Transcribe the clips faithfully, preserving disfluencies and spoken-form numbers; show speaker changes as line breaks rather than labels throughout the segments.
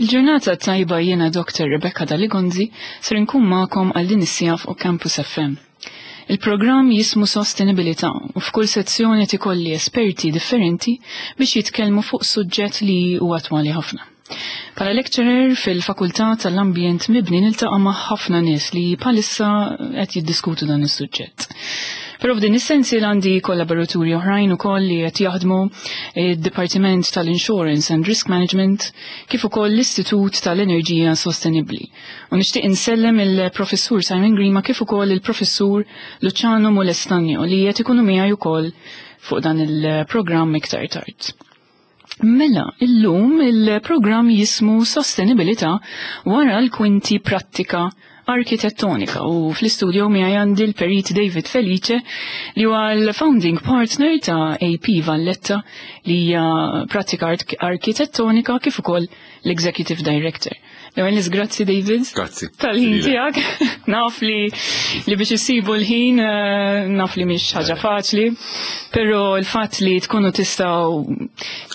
Il-ġurnata tajba, jiena Doctor Rebecca Daligonzi, ser nkun magħkom għal din is-siegħa fuq Campus F M. Il-programm jismu Sostenibilità u f'kull sezzjoni ikolli esperti differenti biex jitkellmu fuq suġġett li huwa attwali ħafna. Bħala lecturer fil-Fakultà tal-Ambjent Mibni niltaqa' ma' ħafna nies li bħalissa qed jiddiskutu dan is-suġġett. Però f'din is-sensi għandi kollaboraturi oħrajn ukoll li qed jaħdmu id-Dipartiment tal-Insurance and Risk Management kif ukoll l-Istitut tal-Enerġija Sostenibbli. U nixtieq insellem il-Professur Simon Grima kif ukoll il-Professur Luciano Molestagno li qed ikunu miegħi ukoll fuq dan il-programm iktar tard. Mela, illum il-programm jismu Sostenibilità wara l-kwinti, prattika arkitettonika, u fl-istudio miegħi għandi l-Perit David Felice li huwa l-founding partner ta' A P Valletta, li hija prattika arkitettonika, kif ukoll l-Executive Director. L-ewwel, grazzi, David.
Grazzi.
Tal-ħin tiegħek. Naf li li biex issibu l-ħin eh, naf li mhix ħaġa faċli, però l-fatt li tkunu tistgħu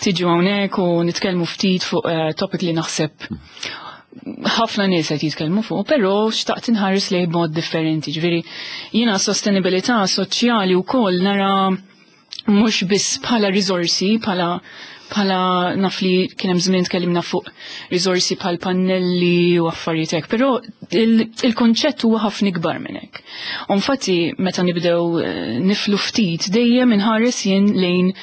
tiġu hawnhekk u nitkellmu ftit fuq eh, topic li naħseb ħafna nies qed jitkellmu fuq, però xtaqt inħares lejh b'mod differenti. Ġifieri jiena sostenibilità soċjali wkoll nara mhux biss bħala riżorsi, bħala bħala naf li kien hemm żmien tkellimna fuq riżorsi bħal pannelli u affarijiet hekk, però il-konċett huwa ħafna ikbar minn hekk. U infatti meta nibdew eh, niflu ftit, dejjem inħares jien lejn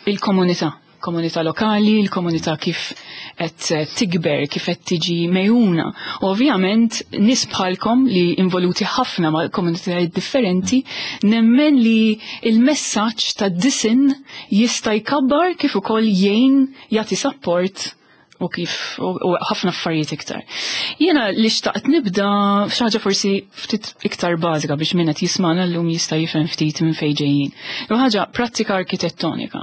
il-komunità, komunità lokali, il-komunità kif qed tikber, kif qed tiġi megħjuna. U ovvjament nies bħalkom li involuti ħafna ma' komunitajiet differenti, nemmen li il-messaġġ ta' disin jista' jkabbar kif ukoll jgħin jagħti support u kif u ħafna affarijiet iktar. Jiena li xtaqt nibda f'xi ħaġa forsi ftit iktar bażika biex min qed jismana llum jista' jifhem ftit minn fejn ġejjin. U ħaġa prattika arkitettonika.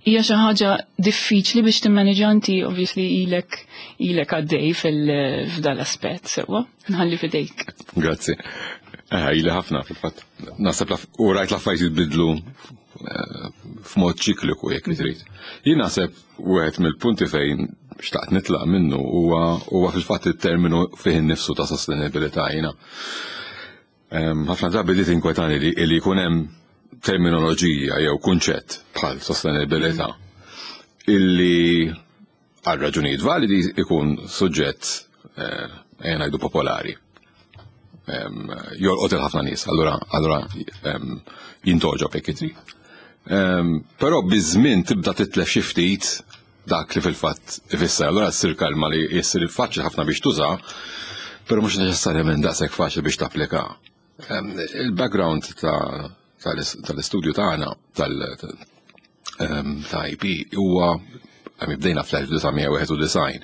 Hija xi ħaġa diffiċli biex timmaneġa inti, obviously ilek ilek għaddej fil-f'dal aspett sewwa. Nħalli fidejk.
Grazzi. Eh, ili ħafna fil-fatt. Naħseb u rajt l-affarijiet jitbidlu eh, f'mod ċikliku, jekk trid. Jien naħseb wieħed mill-punti fejn xtaqt nitlaq minnu huwa huwa fil-fatt it-terminu fih innifsu ta' sostenibilità. Jiena ħafna drabi li tinkwetani li li jkun hemm terminoloġija jew kunċett bħal sostenibilità illi għal raġunijiet validi ikun suġġett, eh, ejja ngħidu, popolari. Jolqot il-ħafna nies, allura allura jintogħġob, jekk trid. Però biż-żmien tibda titlef xi ftit dak li fil-fatt ifisser. Allura ssir kalma li jessir faċli ħafna biex tuża, però mhux neċessarjament daqshekk faċli biex tapplika. Il-background tal-istudju tagħna tal- ta' I P huwa għami bdejna fl-elf disa' mija wieħed u disgħin.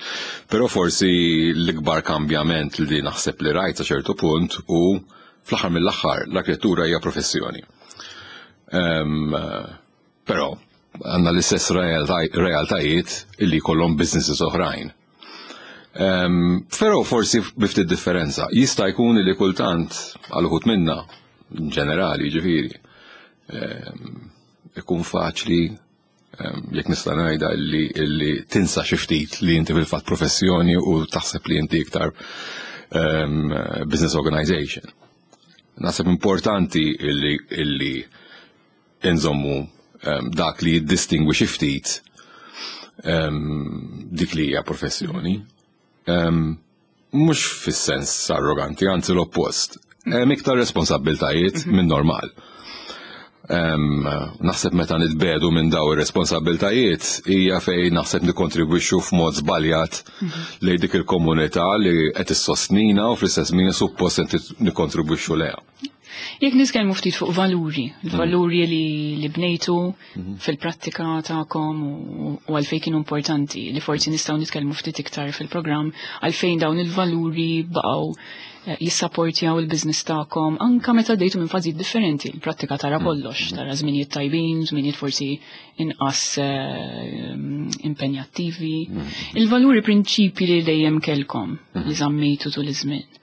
Però forsi l-ikbar kambjament li naħseb li rajt sa ċertu punt u fl-aħħar mill-aħħar l-arkitettura hija professjoni. Però għandna l-istess realtajiet illi kollhom businesses oħrajn. Um, Però forsi bi ftit differenza. Jista' jkun li kultant għal uħud minna, ġenerali ġifieri, um, ikun faċli, um, jekk nista' ngħidha, illi, illi tinsa xi ftit li inti fil-fatt professjoni u taħseb li inti iktar um, business organization. Naħseb importanti illi, illi inżommu um, dak li jiddistingwi xi ftit um, dik li hija professjoni. Um, mhux fis-sens arroganti, anzi l-oppost. Hemm iktar responsabbiltajiet minn normal. Um, naħseb meta nitbedu minn daw ir-responsabbiltajiet hija fejn naħseb nikkontribwixxu f'mod żbaljat lejn dik il-komunità li qed issostnina u fl-istess min suppost qed nikkontribwixxu lejha.
Jekk nitkellmu ftit fuq valuri, il-valuri li, li bnejtu fil-prattika tagħkom u, u għalfejn kienu importanti, li forsi nistgħu nitkellmu ftit iktar fil-programm għalfejn dawn il-valuri baqgħu eh, jissapportjaw il-business tagħkom anka meta għaddejtu minn fażijiet differenti. Il-prattika tara kollox, tara żminijiet tajbin, żminijiet forsi inqas eh, impenjattivi. Il-valuri, prinċipi li dejjem kelkom li żammejtu tul iż-żmien.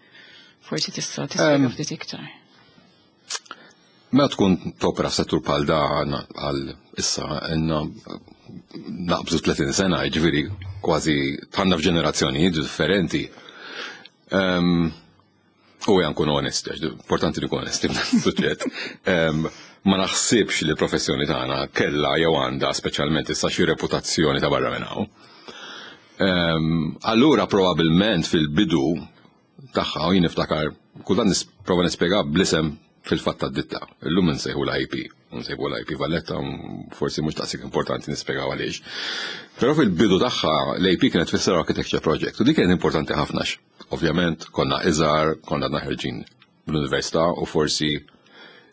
Forsi tista' tispjega ftit iktar.
Meta tkun topera f'settur bħal dan, għal issa għandna Naqbżu tletin sena, ġifieri kważi tħanna f'ġenerazzjonijiet differenti. Um, u ejja nkun onest, għax importanti li nkun onesti f'dan. Um, ma naħsibx li l-professjoni tagħna kellha jew għandha, speċjalment issa, xi reputazzjoni ta' barra minn hawn. Um, allura probabbilment fil-bidu tagħha, u jien niftakar kultant nipprova nispjega bl-isem fil-fatt tad-ditta. Illum nsejħu l-I P, nsejħu l-I P Valletta, forsi mhux daqshekk importanti nispjegaw għaliex. Però fil-bidu tagħha l-A P kienet tfisser Architecture Project u dik kienet importanti ħafna. Ovvjament konna iżgħar, konna ħerġin bl-università u forsi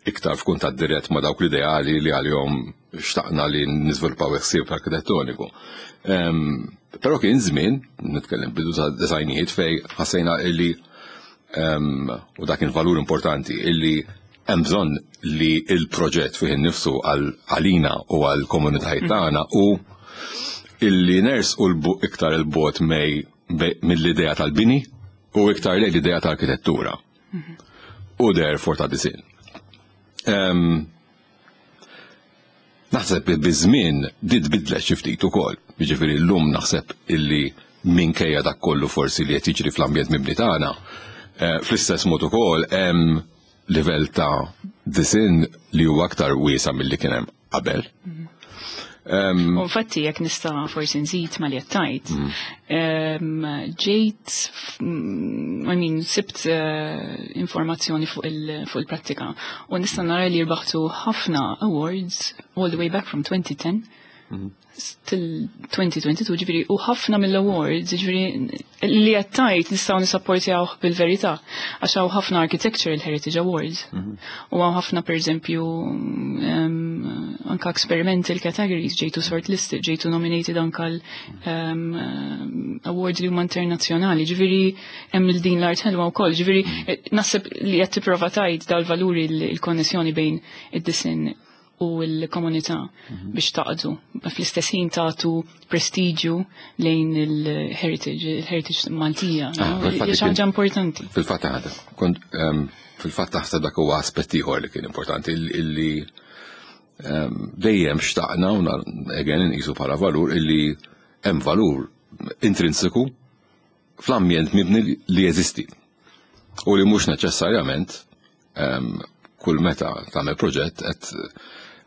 iktar f'kuntatt dirett ma' dawk l-ideali li għalihom xtaqna li niżviluppaw ħsieb arkitettoniku. Em, Però kien żmien, nitkellem bidu ta' disgħinijiet, fejn ħassejna illi em, u dak kien valur importanti, illi hemm bżonn li il-proġett fih innifsu għal għalina u għal komunitajiet tagħna u illi nersqu l iktar 'il bogħod mej mill-idea tal-bini u iktar lejn l-idea tal-arkitettura. U therefore ta' disinn. Em, Naħseb li biż-żmien din tbidlet xi ftit ukoll. Jiġifieri llum naħseb illi minkejja dak kollu forsi li qed jiġri fl-ambjent mibni tagħna, eh, fl-istess mod ukoll hemm livell ta' disinn li huwa aktar wiesa' milli kien hemm qabel. Em,
U infatti, jekk nista' forsi nżid ma li qed, ġejt, mm, I mean, sibt eh, informazzjoni fuq il- fuq il-prattika u nista' nara li rbaħtu ħafna awards all the way back from twenty ten till twenty twenty-two, ġifieri, u ħafna mill-awards, ġifieri, li qed tgħid nistgħu nisapportjawh bil-verità, għax hawn ħafna Architectural Heritage Awards. U hawn ħafna, per eżempju, um, anka experimental categories, ġejtu shortlisted, ġejtu nominated anka l um, awards li huma internazzjonali, ġifieri hemm il din l-art ħelwa wkoll, ġifieri eh, naħseb li qed tipprova tgħid dal-valuri, il-konnessjoni bejn id-disinn u l-komunità biex taqdu. Fl-istess ħin tagħtu prestiġju lejn il-heritage, il-heritage Maltija.
Ah,
no?
fil-fatt
Hija xi
kien-
ħaġa importanti.
Fil-fatt ħada, kont em, fil-fatt taħseb dak huwa aspett ieħor li kien importanti illi em, dejjem xtaqna u nar- again inqisu bħala valur illi hemm valur intrinsiku fl-ambjent mibni li jeżisti u li mhux neċessarjament em, kull meta tagħmel proġett qed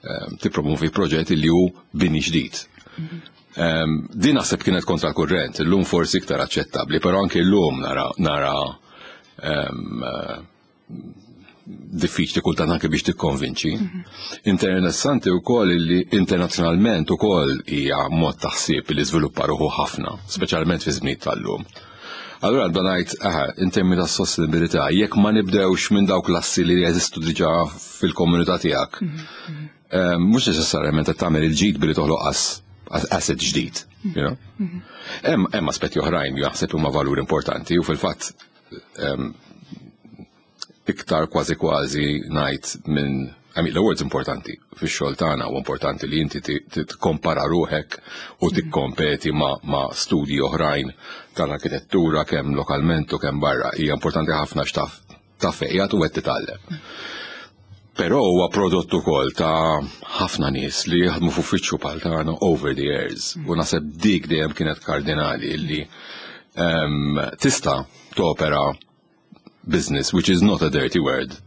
em, tippromovi proġett li hu bini ġdid. Em, Din naħseb kienet kontra l-kurrent, illum forsi iktar aċċettabbli, però anke llum nara nara em, eh, diffiċli kultant anke biex tikkonvinċi. Interessanti wkoll li internazzjonalment ukoll hija mod ta' ħsieb li żviluppa ruħu ħafna, speċjalment fi żmien tal-lum. Allura dan ngħid, aha, in termini ta' sostenibilità, jekk ma nibdewx minn dawk l-assi li jeżistu diġà fil-komunità tiegħek, eh, mhux neċessarjament qed tagħmel il-ġid billi toħloq as asset ġdid, you know? Hemm hemm aspetti oħrajn li jaħseb huma valur importanti u fil-fatt em, iktar kważi kważi ngħid minn, I mean, l-awards importanti fix-xogħol tagħna u importanti li inti tikkompara ruħek u tikkompeti ma, ma studji oħrajn tal-arkitettura kemm lokalment u kemm barra. Hija importanti ħafna x'taf taf fejn u qed titgħallem. Però huwa prodott ukoll ta' ħafna nies li jaħdmu f'uffiċċju bħal tagħna over the years. U naħseb dik dejjem kienet kardinali illi um, tista' topera business, which is not a dirty word.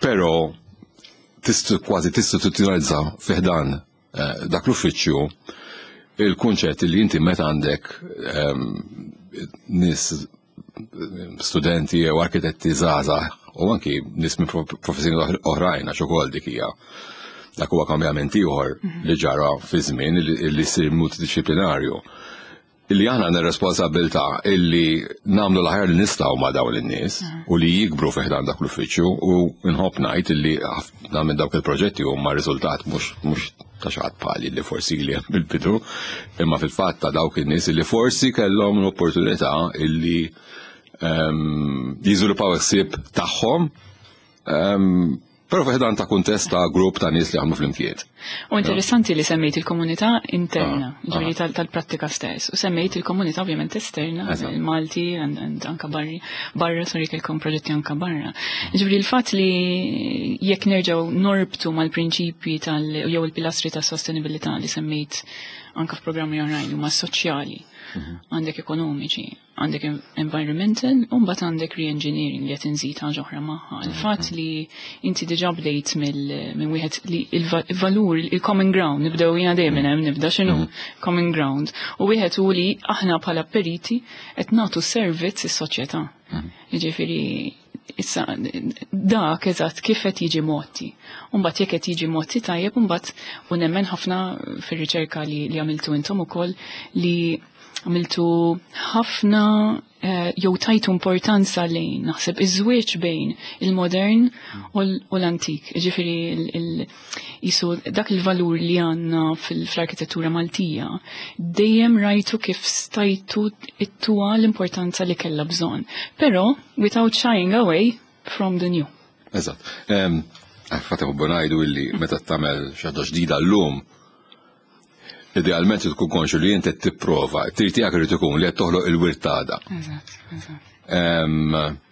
Però tistu kważi tistituzzjonalizza fi ħdan eh, dak l-uffiċċju il-kunċett li inti meta għandek um, nies, studenti u arkitetti żgħażagħ u anki nies minn professjoni oħrajn, għax ukoll dik hija dak huwa kambjament ieħor li ġara fi żmien li jsir multidisciplinarju, illi aħna għandna responsabilità illi nagħmlu l-aħjar li nistgħu ma' dawn in-nies u li jikbru fi ħdan dak l-uffiċċju, u nħobb ngħid illi ħafna minn dawk il-proġetti huma riżultat mhux mhux ta' xi ħadd bħali li forsi li hemm bil-bidu, imma fil-fatt ta' dawk in-nies illi forsi kellhom l-opportunità illi jiżviluppaw ħsieb tagħhom. Però fi ħdan ta' kuntest ta' grupp ta' nies li jaħdmu flimkien.
U interessanti li semmejt il-komunità interna, ah, ġifieri ah. tal-prattika stess. U semmejt il-komunità ovvjament esterna, il-Malti, anka barri, barra, sorry, kelkom proġetti anka barra. Ġifieri il-fatt li jekk nerġgħu norbtu mal-prinċipji tal jew il-pilastri tas sostenibilità li semmejt anka f'programmi oħrajn huma soċjali, mhm. għandek ekonomiċi, għandek environmental, u mbagħad għandek re-engineering li qed inżid ħaġa oħra magħha. Mhm. Il-fatt li inti diġà bdejt minn wieħed li il-valur, il-common ground, nibdew jiena dejjem hemm nibda x'inhu mhm. common ground. U wieħed hu li aħna bħala periti qed nagħtu servizz is-soċjetà. Jiġifieri issa dak eżatt kif qed jiġi motti. Mbagħad jekk qed jiġi motti tajjeb, mbagħad u nemmen ħafna fir-riċerka li, li għamiltu intom ukoll, li għamiltu ħafna eh, jew tajtu importanza lejn naħseb iż-żwieġ bejn il-modern u l-antik. Ġifieri jisu dak il-valur li għandna fil-arkitettura Maltija, dejjem rajtu kif stajtu ittuha l-importanza li kellha bżonn. Però without shying away from the new.
Eżatt. Fatt u ngħidu illi meta tagħmel xi ħaġa ġdida llum, idealment tkun konxu li inti tipprova, trid tiegħek irid ikun li qed toħloq il-wirt tagħda.
Eżatt, eżatt.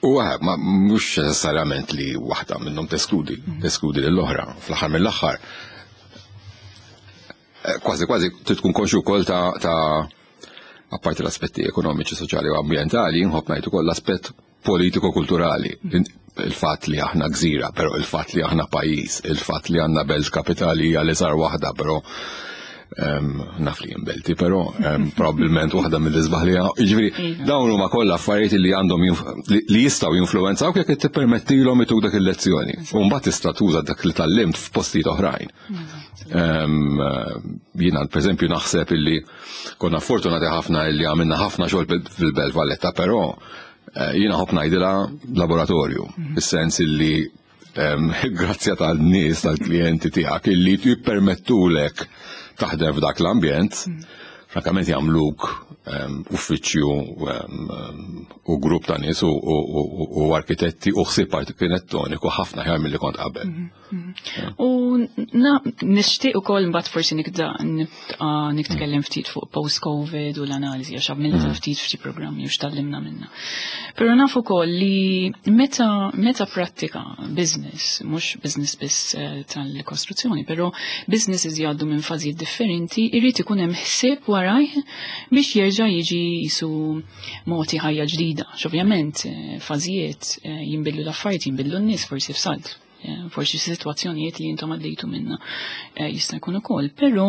U ma mhux neċessarjament li waħda minnhom teskludi, mm. teskludi lill-oħra. Fl-aħħar mill-aħħar, eh, kważi kważi trid tkun konxu wkoll ta' ta' apparti l-aspetti ekonomiċi, soċjali u ambjentali, nħobb ngħid ukoll l-aspett politiko-kulturali. Il-fatt li aħna gżira, però il-fatt li aħna pajjiż, il-fatt li għandna belt kapitali hija l-iżgħar waħda, però naf li belti, però probabbilment waħda mill-isbaħ li. Jiġifieri iva. Dawn huma kollha affarijiet li għandhom li jistgħu jinfluwenzaw jekk tippermettilhom ituk dak il-lezzjoni. U mbagħad tista' tuża dak li tgħallimt f'postijiet oħrajn. Jiena pereżempju naħseb illi konna fortunati ħafna illi għamilna ħafna xogħol fil-Belt Valletta, però eh, jiena nħobb ngħidilha laboratorju, mhm. fis-sens illi grazzi tal-nies, tal-klijenti tiegħek illi jippermettulek taħdem f'dak l-ambjent, mm. frankament jagħmluk uffiċċju u grupp ta' nies u arkitetti u ħsieb arkitettoniku ħafna aħjar milli kont qabel. Mhm,
mhm. U nixtieq ukoll mbagħad forsi nibda nitkellem ftit fuq post-Covid u l-analiżi, għax għamilta mhm. ftit f'xi programmi u x'tgħallimna minna. Però naf ukoll li meta meta prattika business, mhux business biss eh, tal-kostruzzjoni, però businesses jgħaddu minn fażijiet differenti, irid ikun hemm ħsieb warajh biex jerġa' jiġi jisu mogħti ħajja ġdida. Ovvjament eh, fażijiet eh, jinbidlu l-affarijiet, jinbidlu n-nies forsi f'salt. Forsi situazzjonijiet li intom għaddejtu minna jista' jkun ukoll, però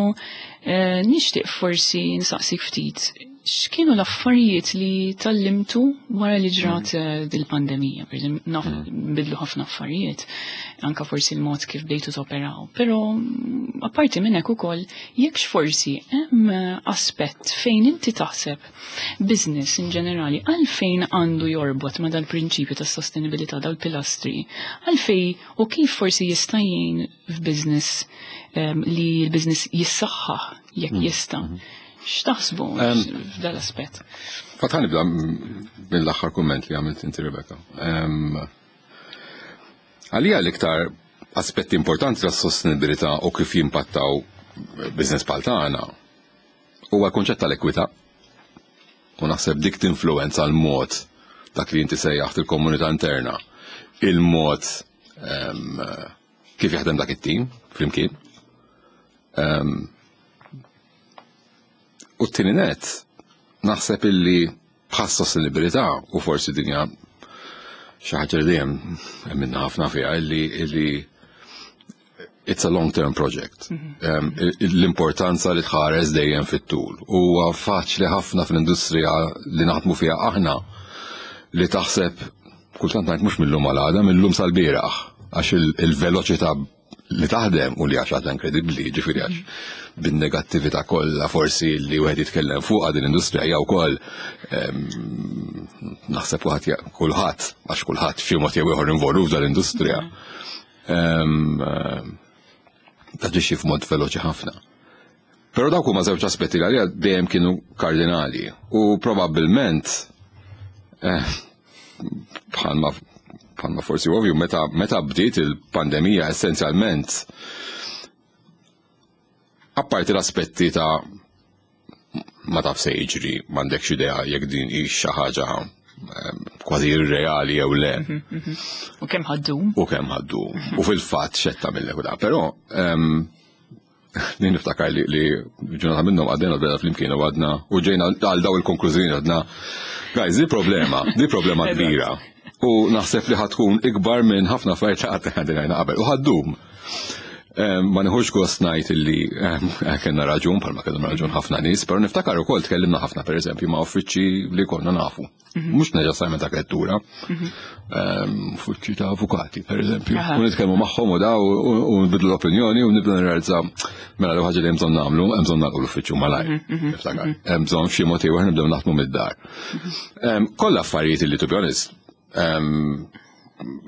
nixtieq forsi nsaqsik ftit x'kienu l-affarijiet li tgħallimtu wara li ġrat mm. dil-pandemija? Per naf mm. bidlu ħafna affarijiet, anka forsi l-mod kif bdejtu toperaw. Però mm, apparti minn hekk ukoll, jekk forsi hemm aspett fejn inti taħseb business in ġenerali għalfejn għandu jorbot ma dal-prinċipju ta' sostenibilità, dal-pilastri, għalfejn u kif forsi jista' jgħin f'business um, li l-business jissaħħaħ jekk jista'. Mm. X'taħsbu f'dal-aspett?
Fatt ħa nibda mill-aħħar kumment li għamilt inti, Rebecca. Għalija l-iktar aspetti importanti tas sostenibilità u kif jimpattaw business bħal tagħna huwa l-kunċett tal-ekwità. U naħseb dik tinfluwenza l-mod dak li inti sejjaħt il-komunità interna, il-mod kif jaħdem dak it-tim flimkien. Um, u t-tieni net, naħseb illi bħas sostenibilità, u forsi dinja xi ħaġa li dejjem minna ħafna fiha, illi illi it's a long-term project. Mhm. L-importanza li tħares dejjem fit-tul. Huwa faċli ħafna fl-industrija li naħdmu fiha aħna li taħseb kultant ngħid mhux mill-lum għal għada, mill-lum sal-bieraħ, għax il-veloċità li taħdem u li għax għadha inkredibbli, ġifieri għax bin-negattività kollha forsi li wieħed jitkellem fuq din l-industrija hija wkoll, naħseb kulħadd kulħadd għax kulħadd f'xi mod jew ieħor involut f'dal-industrija. Taġixxi f'mod veloċi ħafna. Però dawk huma żewġ aspetti li għalija dejjem kienu kardinali u probabbilment eh, bħalma bħalma forsi ovvju, meta meta bdiet il-pandemija, essenzjalment, apparti l-aspetti ta' ma taf se jiġri, m'għandekx idea jekk din hi xi ħaġa em, kważi irreali jew le.
U kemm ħa ddum?
U kemm ħa ddum. U fil-fatt xetta mill da. Però em, din niftakar li, li ġurnata minnhom għaddejna l-beda flimkien u għadna u ġejna għal daw il-konklużjoni, għadna: "Guys, di problema, di problema kbira. U naħseb li ħa tkun ikbar minn ħafna affarijiet li qatt għandna qabel. U ħa ddum." Em, Ma nieħux gost ngħid illi em, kellna raġun, bħalma kellhom raġun ħafna nies, però niftakar ukoll tkellimna ħafna, pereżempju, ma' uffiċċji li konna nafu. Mhux neċessarjament ta' lettura. Em, Uffiċċji ta' avukati, pereżempju.
Aha.
U nitkellmu magħhom u da u u nbidlu l-opinjoni u nibdu nirrealizza mela li ħaġa li hemm bżonn nagħmlu, hemm bżonn nagħlqu l-uffiċċju malajr. Niftakar. Hemm bżonn f'xi mod ieħor nibdew naħdmu mid-dar. Em, Kollha affarijiet li, to be honest, em,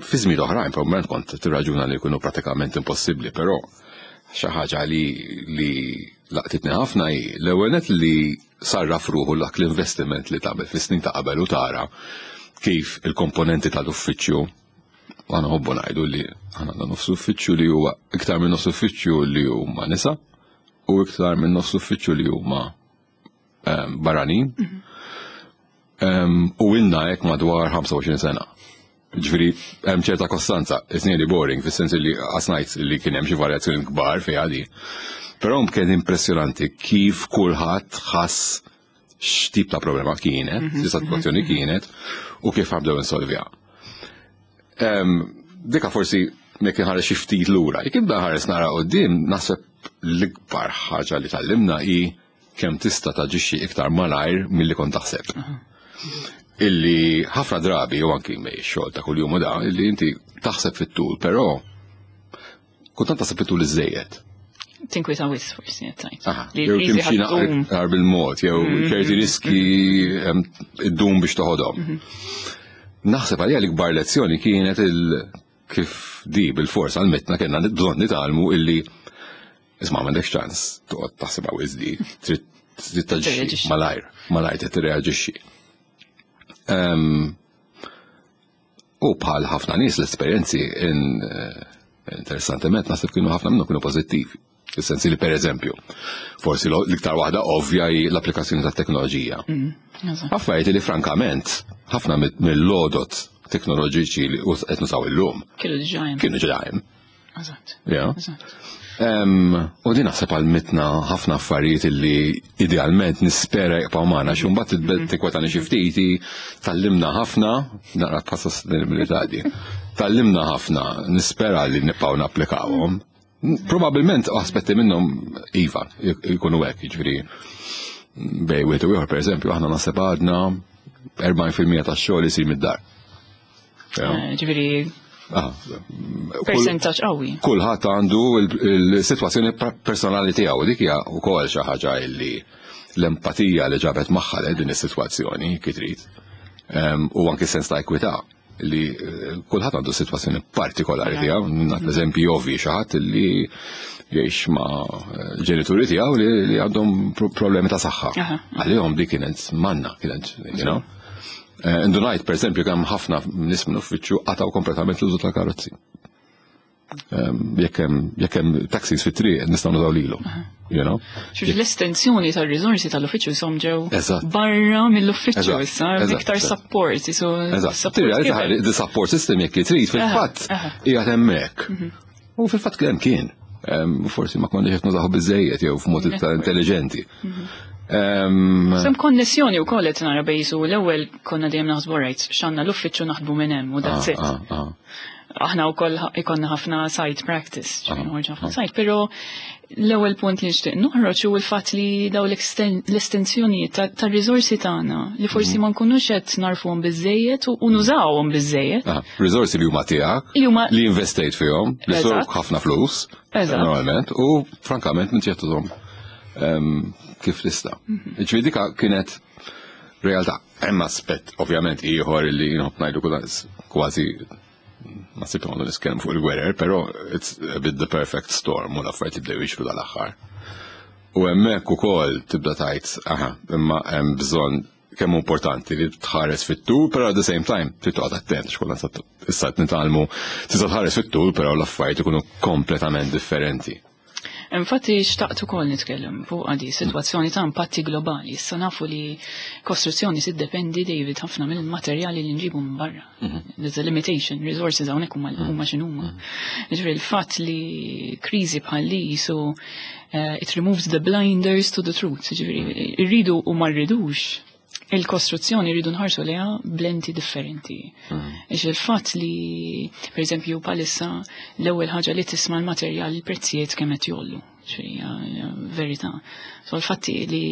fi żmien oħrajn probabbilment kont tirraġuna li jkunu pratikament impossibbli, però xi ħaġa li li laqtitni ħafna hi l-ewwel net li sarraf ruħu dak l-investiment li tagħmel fis-snin ta' qabel u tara kif il-komponenti tal-uffiċċju, għana nħobbu ngħidu li għana għandna nofs uffiċċju li huwa, iktar minn nofs uffiċċju li huma nisa u iktar minn nofs uffiċċju li huma em, barranin. Em, U ilna hekk madwar ħamsa u għoxrin sena. Ġifieri, hemm ċerta kostanza, it's nearly boring, fis-sens li għasnajt li kien hemm xi varjazzjoni kbar fi għadi. Però kien impressjonanti kif kulħadd ħass x'tip ta' problema kienet, mm sitwazzjoni kienet, u kif ħa nibdew insolviha. Em, Dika forsi jekk inħares xi ftit lura, jekk ibda ħares nara quddiem, naħseb l-ikbar ħaġa li tgħallimna hi kemm tista' taġixxi iktar malajr milli kont taħseb. Illi ħafna drabi, u anki mej xogħol ta' kuljum u da, illi inti taħseb fit-tul, però kultant taħseb fit-tul iżejjed.
Tinkwita wisq forsi qed tgħid.
Aha,
Li
jew
l-kriżi
timxi
ħa ddum.
naqra bil-mod, jew ċerti riski em, iddum biex toħodhom. Naħseb għalija l-ikbar lezzjoni kienet il kif di bil-fors għal-mitna kellna bżonn nitgħallmu illi isma', m'għandekx ċans toqgħod taħseb għaw iżdi, trid trid taġixxi
Tirreaġixxi.
malajr, malajr trid tirreaġixxi. Em, U bħal ħafna nies l-esperjenzi in eh, interessantement naħseb kienu ħafna minnhom kienu pożittivi. Fis-sens li, per eżempju, forsi l- l-iktar waħda ovvja hi l-applikazzjoni tat-teknoloġija.
Eżatt.
Affarijiet li frankament ħafna mid- mill-lodot teknoloġiċi li us- qed nużaw illum
Kienu diġà hemm.
kienu ġa hemm.
Eżatt.
Ja.
Eżatt.
Em, U din naħseb għallmitna ħafna affarijiet illi idealment nispera jibqgħu magħna, xi mbagħad tibda tinkwetani xi ftit, tgħallimna ħafna, naqra ta' sostenibilità di. Tgħallimna ħafna, nispera li nibqgħu napplikawhom. Probabilment aspetti minnhom iva jkunu hekk, jiġifieri bejn wieħed u ieħor, pereżempju, aħna naħseb għadna erbgħin fil-mija tax-xogħol isir mid-dar. Ja.
Eh, Ġifieri
Ah, kull-
percentaġġ qawwi.
Kulħadd għandu il-sitwazzjoni personali tiegħu, dik hija wkoll xi ħaġa illi l-empatija li ġabet magħha li din is-sitwazzjoni kif trid. Em, U anki sens ta' ekwità li eh, kulħadd għandu sitwazzjoni partikolari tiegħu, nagħti eżempji ovvi, xi ħadd li jgħix ma' eh, ġenituri tiegħu li li għandhom pro- problemi ta' saħħa.
Aha.
Għalihom di kienet manna, kienet, you know. Eh, Indunajt, per esempio, kemm ħafna nies minn uffiċċju qataw kompletament l-użu tal-karozzi. Em, Jekk hemm jekk hemm taxis fit-triq nistgħu nużaw lilu. You know?
Xux l-estensjoni tal-riżorsi tal-uffiċċju som ġew
Eżatt.
barra mill-uffiċċju
Eżatt,
issa,
eżatt,
iktar
eżatt.
support, so
Eżatt.
support
Tirrealizza
kiber.
the support system, jekk li trid, fil-fatt
aha.
qiegħed hemmhekk. U fil-fatt kemm kien. Em, Forsi ma konniex qed nużaw biżejjed jew f'mod iktar intelligenti. Em,
Sem konnessjoni u kollet nara bejzu l-ewwel konna dejjem naħsbu, right, x'għandna l-uffiċċju, naħdmu minn hemm u that's
ah,
it.
ah, ah.
Aħna wkoll ikonna ħafna site practice, ġifieri
Ah,
noħorġu ħafna site, però l-ewwel punt li nixtieq noħroġ hu l-fatt li daw l-exten- l-estensjoni tar-riżorsi tagħna li forsi
Mhm.
ma nkunux qed narfuhom biżejjed u u nużawhom biżejjed.
Ah, riżorsi li huma tiegħek,
Li huma
li investejt fihom, li
Eżatt.
sorok ħafna flus,
Eżatt.
normalment, u frankament minn ċertuhom kif tista'.
Mhm.
Ġifieri dika kienet realtà. Hemm aspett ovvjament ieħor li nħobb ngħidu kważi ma sibtu għandu nitkellem fuq il-gwerer, però it's a bit the perfect storm u l-affarijiet jibdew jiġru dal-aħħar. U hemmhekk ukoll tibda tgħid, aha, imma hemm bżonn Kemm importanti li tħares fit-tul, però at the same time trid toqgħod attent x'kollha issa qed nitgħallmu tista' tħares fit-tul, però l-affarijiet ikunu kompletament differenti.
Infatti xtaqt ukoll nitkellem fuq għadi situazzjoni ta' impatti globali. Issa nafu li kostruzzjoni tiddependi, David, ħafna mill-materjali li nġibu minn barra. There's a limitation, resources hawnhekk huma huma x'inhuma. Ġifieri il-fatt li kriżi bħal li so uh, it removes the blinders to the truth. Ġifieri irridu u ma rridux, il-kostruzzjoni rridu nħarsu leha b'lenti differenti. Ix il-fatt li, per eżempju, bħalissa l-ewwel ħaġa li tisma' l-materjal, il-prezzijiet kemm qed jogħlu. Ġifieri hija verità. So l-fatti li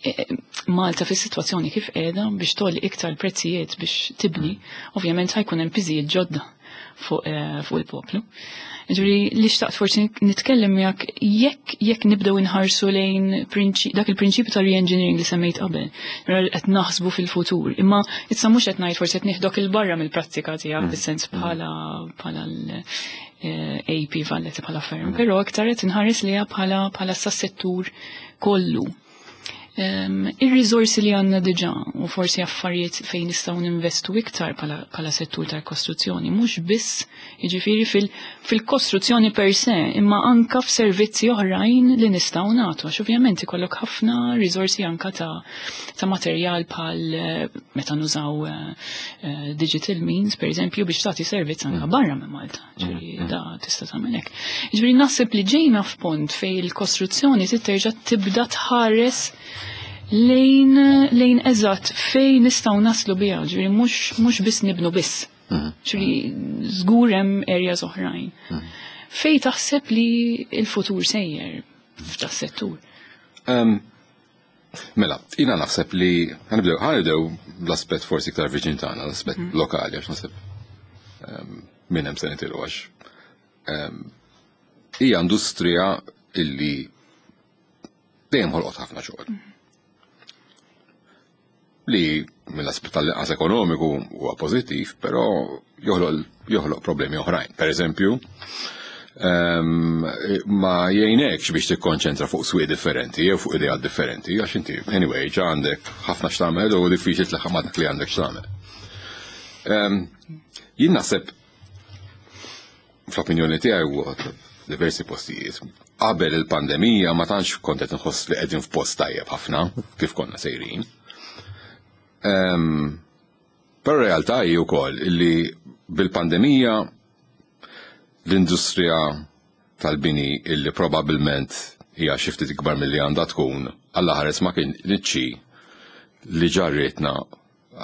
eh, Malta fis situazzjoni kif qiegħda biex togħli iktar prezzijiet biex tibni, ovvjament ħa jkun hemm piżijiet ġodda fuq eh, fuq il-poplu. Ġifieri li xtaqt forsi nitkellem miegħek jekk jekk nibdew inħarsu lejn prinċi- dak il-prinċipju ta' re-engineering li semmejt qabel. Mela qed naħsbu fil-futur. Imma issa mhux qed ngħid forsi qed nieħdok 'il barra mill-prattika tiegħek fis-sens bħala bħala l-A P Valletta bħala firm, però iktar qed inħares liha bħala bħala sa settur kollu. Um, Ir-riżorsi li għandna diġà u forsi affarijiet fejn nistgħu ninvestu iktar bħala, bħala settur tal-kostruzzjoni, mhux biss jiġifieri fil- fil-kostruzzjoni per se, imma anka f'servizzi oħrajn li nistgħu nagħtu, għax ovvjament ikollok ħafna riżorsi anka ta', ta' materjal bħal eh, meta nużaw eh, eh, digital means, per eżempju, biex tagħti servizz anka barra minn Malta. Ġifieri da tista' tagħmel hekk. Ġifieri naħseb li ġejna f'punt fejn il-kostruzzjoni trid terġa' tibda tħares lejn lejn eżatt fejn nistgħu naslu biha, ġifieri mhux mhux biss nibnu biss. Ġifieri żgur hemm areas oħrajn. Fej taħseb li il-futur sejjer f'da settur?
Um, mela, jiena naħseb li ħa nibdew ħa nibdew l-aspett forsi iktar viċin tagħna, l-aspett lokali, għax naħseb um, minn hemm se nitilqu, għax um, hija industrija illi dejjem ħolqot ħafna xogħol. Li mill-aspett tal-inqas ekonomiku huwa pożittiv, però joħloq joħloq problemi oħrajn. Per eżempju, um, ma jgħinekx biex tikkonċentra fuq swieq differenti jew fuq ideat differenti, għax inti anyway ġa għandek ħafna x'tagħmel u diffiċli tlaħħaq ma' dak li għandek x'tagħmel. Um, jien naħseb, fl-opinjoni tiegħi huwa diversi postijiet. Qabel il-pandemija ma tantx kont qed inħoss li qegħdin f'post tajjeb ħafna kif konna sejrin. Um, Però realtà hi wkoll illi bil-pandemija l-industrija tal-bini, illi probabbilment hija xi ftit ikbar milli għandha tkun, Alla ħares ma kien niċċi li ġarritna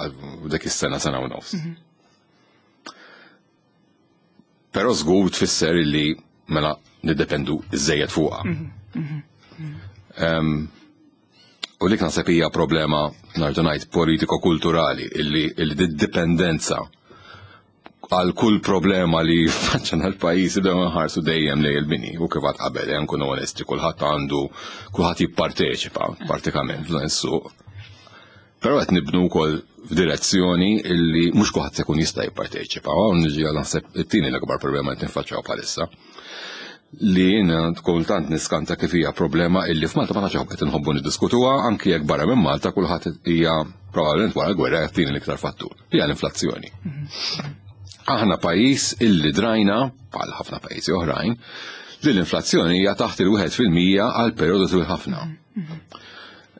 għal dak is-sena, sena u nofs. Però żgur tfisser illi mela niddependu iżejjed fuqha. Em, U dik naħseb hija problema, nerġa' ngħid, politiko-kulturali, illi illi d-dipendenza għal kull problema li faċċana l-pajjiż ibdew nħarsu dejjem lejn il-bini. U kif għad qabel, ejja nkunu onesti, kulħadd għandu kulħadd jipparteċipa pratikament f'dan is-suq. Però qed nibnu wkoll f'direzzjoni illi mhux kulħadd se jkun jista' jipparteċipa. Hawn niġi għal naħseb it-tieni l-akbar problema qed ninfaċċjaw bħalissa, li jiena kultant niskanta kif hija problema illi f'Malta ma tantx qed inħobbu niddiskutuha, anki jekk barra minn Malta kulħadd hija probabbilment wara l-gwerra t-tieni l-iktar fattur. Hija l-inflazzjoni. Aħna pajjiż illi drajna, bħal ħafna pajjiżi oħrajn, li l-inflazzjoni hija taħt il-wieħed fil-mija għal perjodu twil ħafna.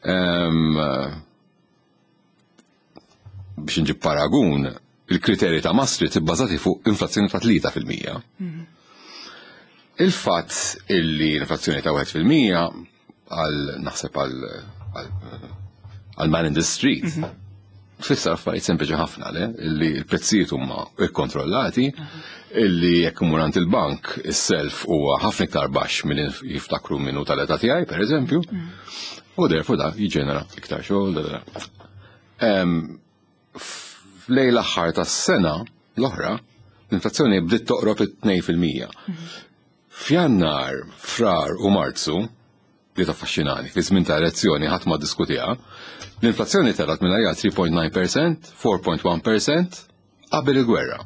Em, Biex nġib paragun, il-kriterji ta' Maastricht ibbażati fuq inflazzjoni ta' tlieta fil-mija. Il-fatt illi l-inflazzjoni ta' wieħed fil-mija għal naħseb għal għal- għal man in the street tfisser affarijiet sempliċi ħafna, le illi l-prezzijiet huma ikkontrollati, illi jekk imur għand il-bank is-self huwa ħafna iktar baxx milli jiftakru minnu tal-età tiegħi, pereżempju, u therefore da jiġġenera iktar xogħol. Da, da, da. Em, F'lejn l-aħħar tas-sena l-oħra, l-inflazzjoni bdiet toqrob it-tnejn fil-mija. F'Jannar, Frar u Marzu, li taffaxxinani, fi żmien ta' elezzjoni ħadd ma ddiskutiha, l-inflazzjoni telgħet minn tlieta punt tnejn fil-mija, erbgħa punt wieħed fil-mija qabel il-gwerra.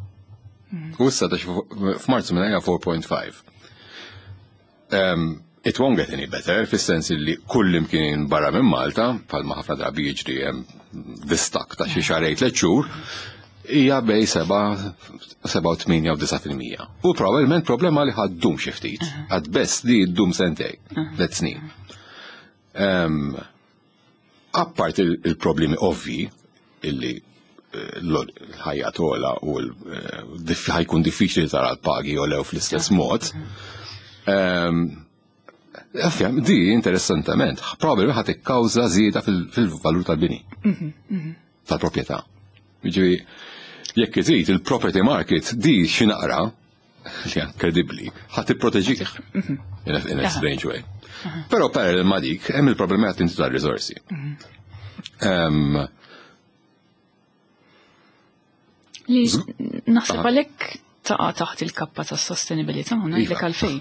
U issa ta' f'Marzu minn erbgħa punt ħamsa. Um, it won't get any better, fis-sens li kull imkien barra minn Malta, bħalma ħafna drabi jiġri, hemm Distakk ta' xi xahrejn, tliet xhur, hija bejn seba' seba' u tmienja u disa' fil-mija. U probabbilment problema li ħa ddum xi ftit, at best li ddum sentejn, tliet snin. Apart il-problemi ovvi illi eh, l-ħajja togħla u ħa jkun diffiċli tara l-pagi jogħlew fl-istess mod. Afjam, di interessantament, probabli ħa tikkawża żieda fil-valur tal-bini, tal-proprjetà. Jiġifieri, jekk iżid il-property market di xi naqra, li inkredibbli, ħa tipproteġik in a, in a strange way. Però parallel ma dik, hemm il-problemi għat inti tal-risorsi. Um,
Li naħseb għalhekk taqa' taħt il-kappa tas sostenibilità, ngħidlek għalfejn.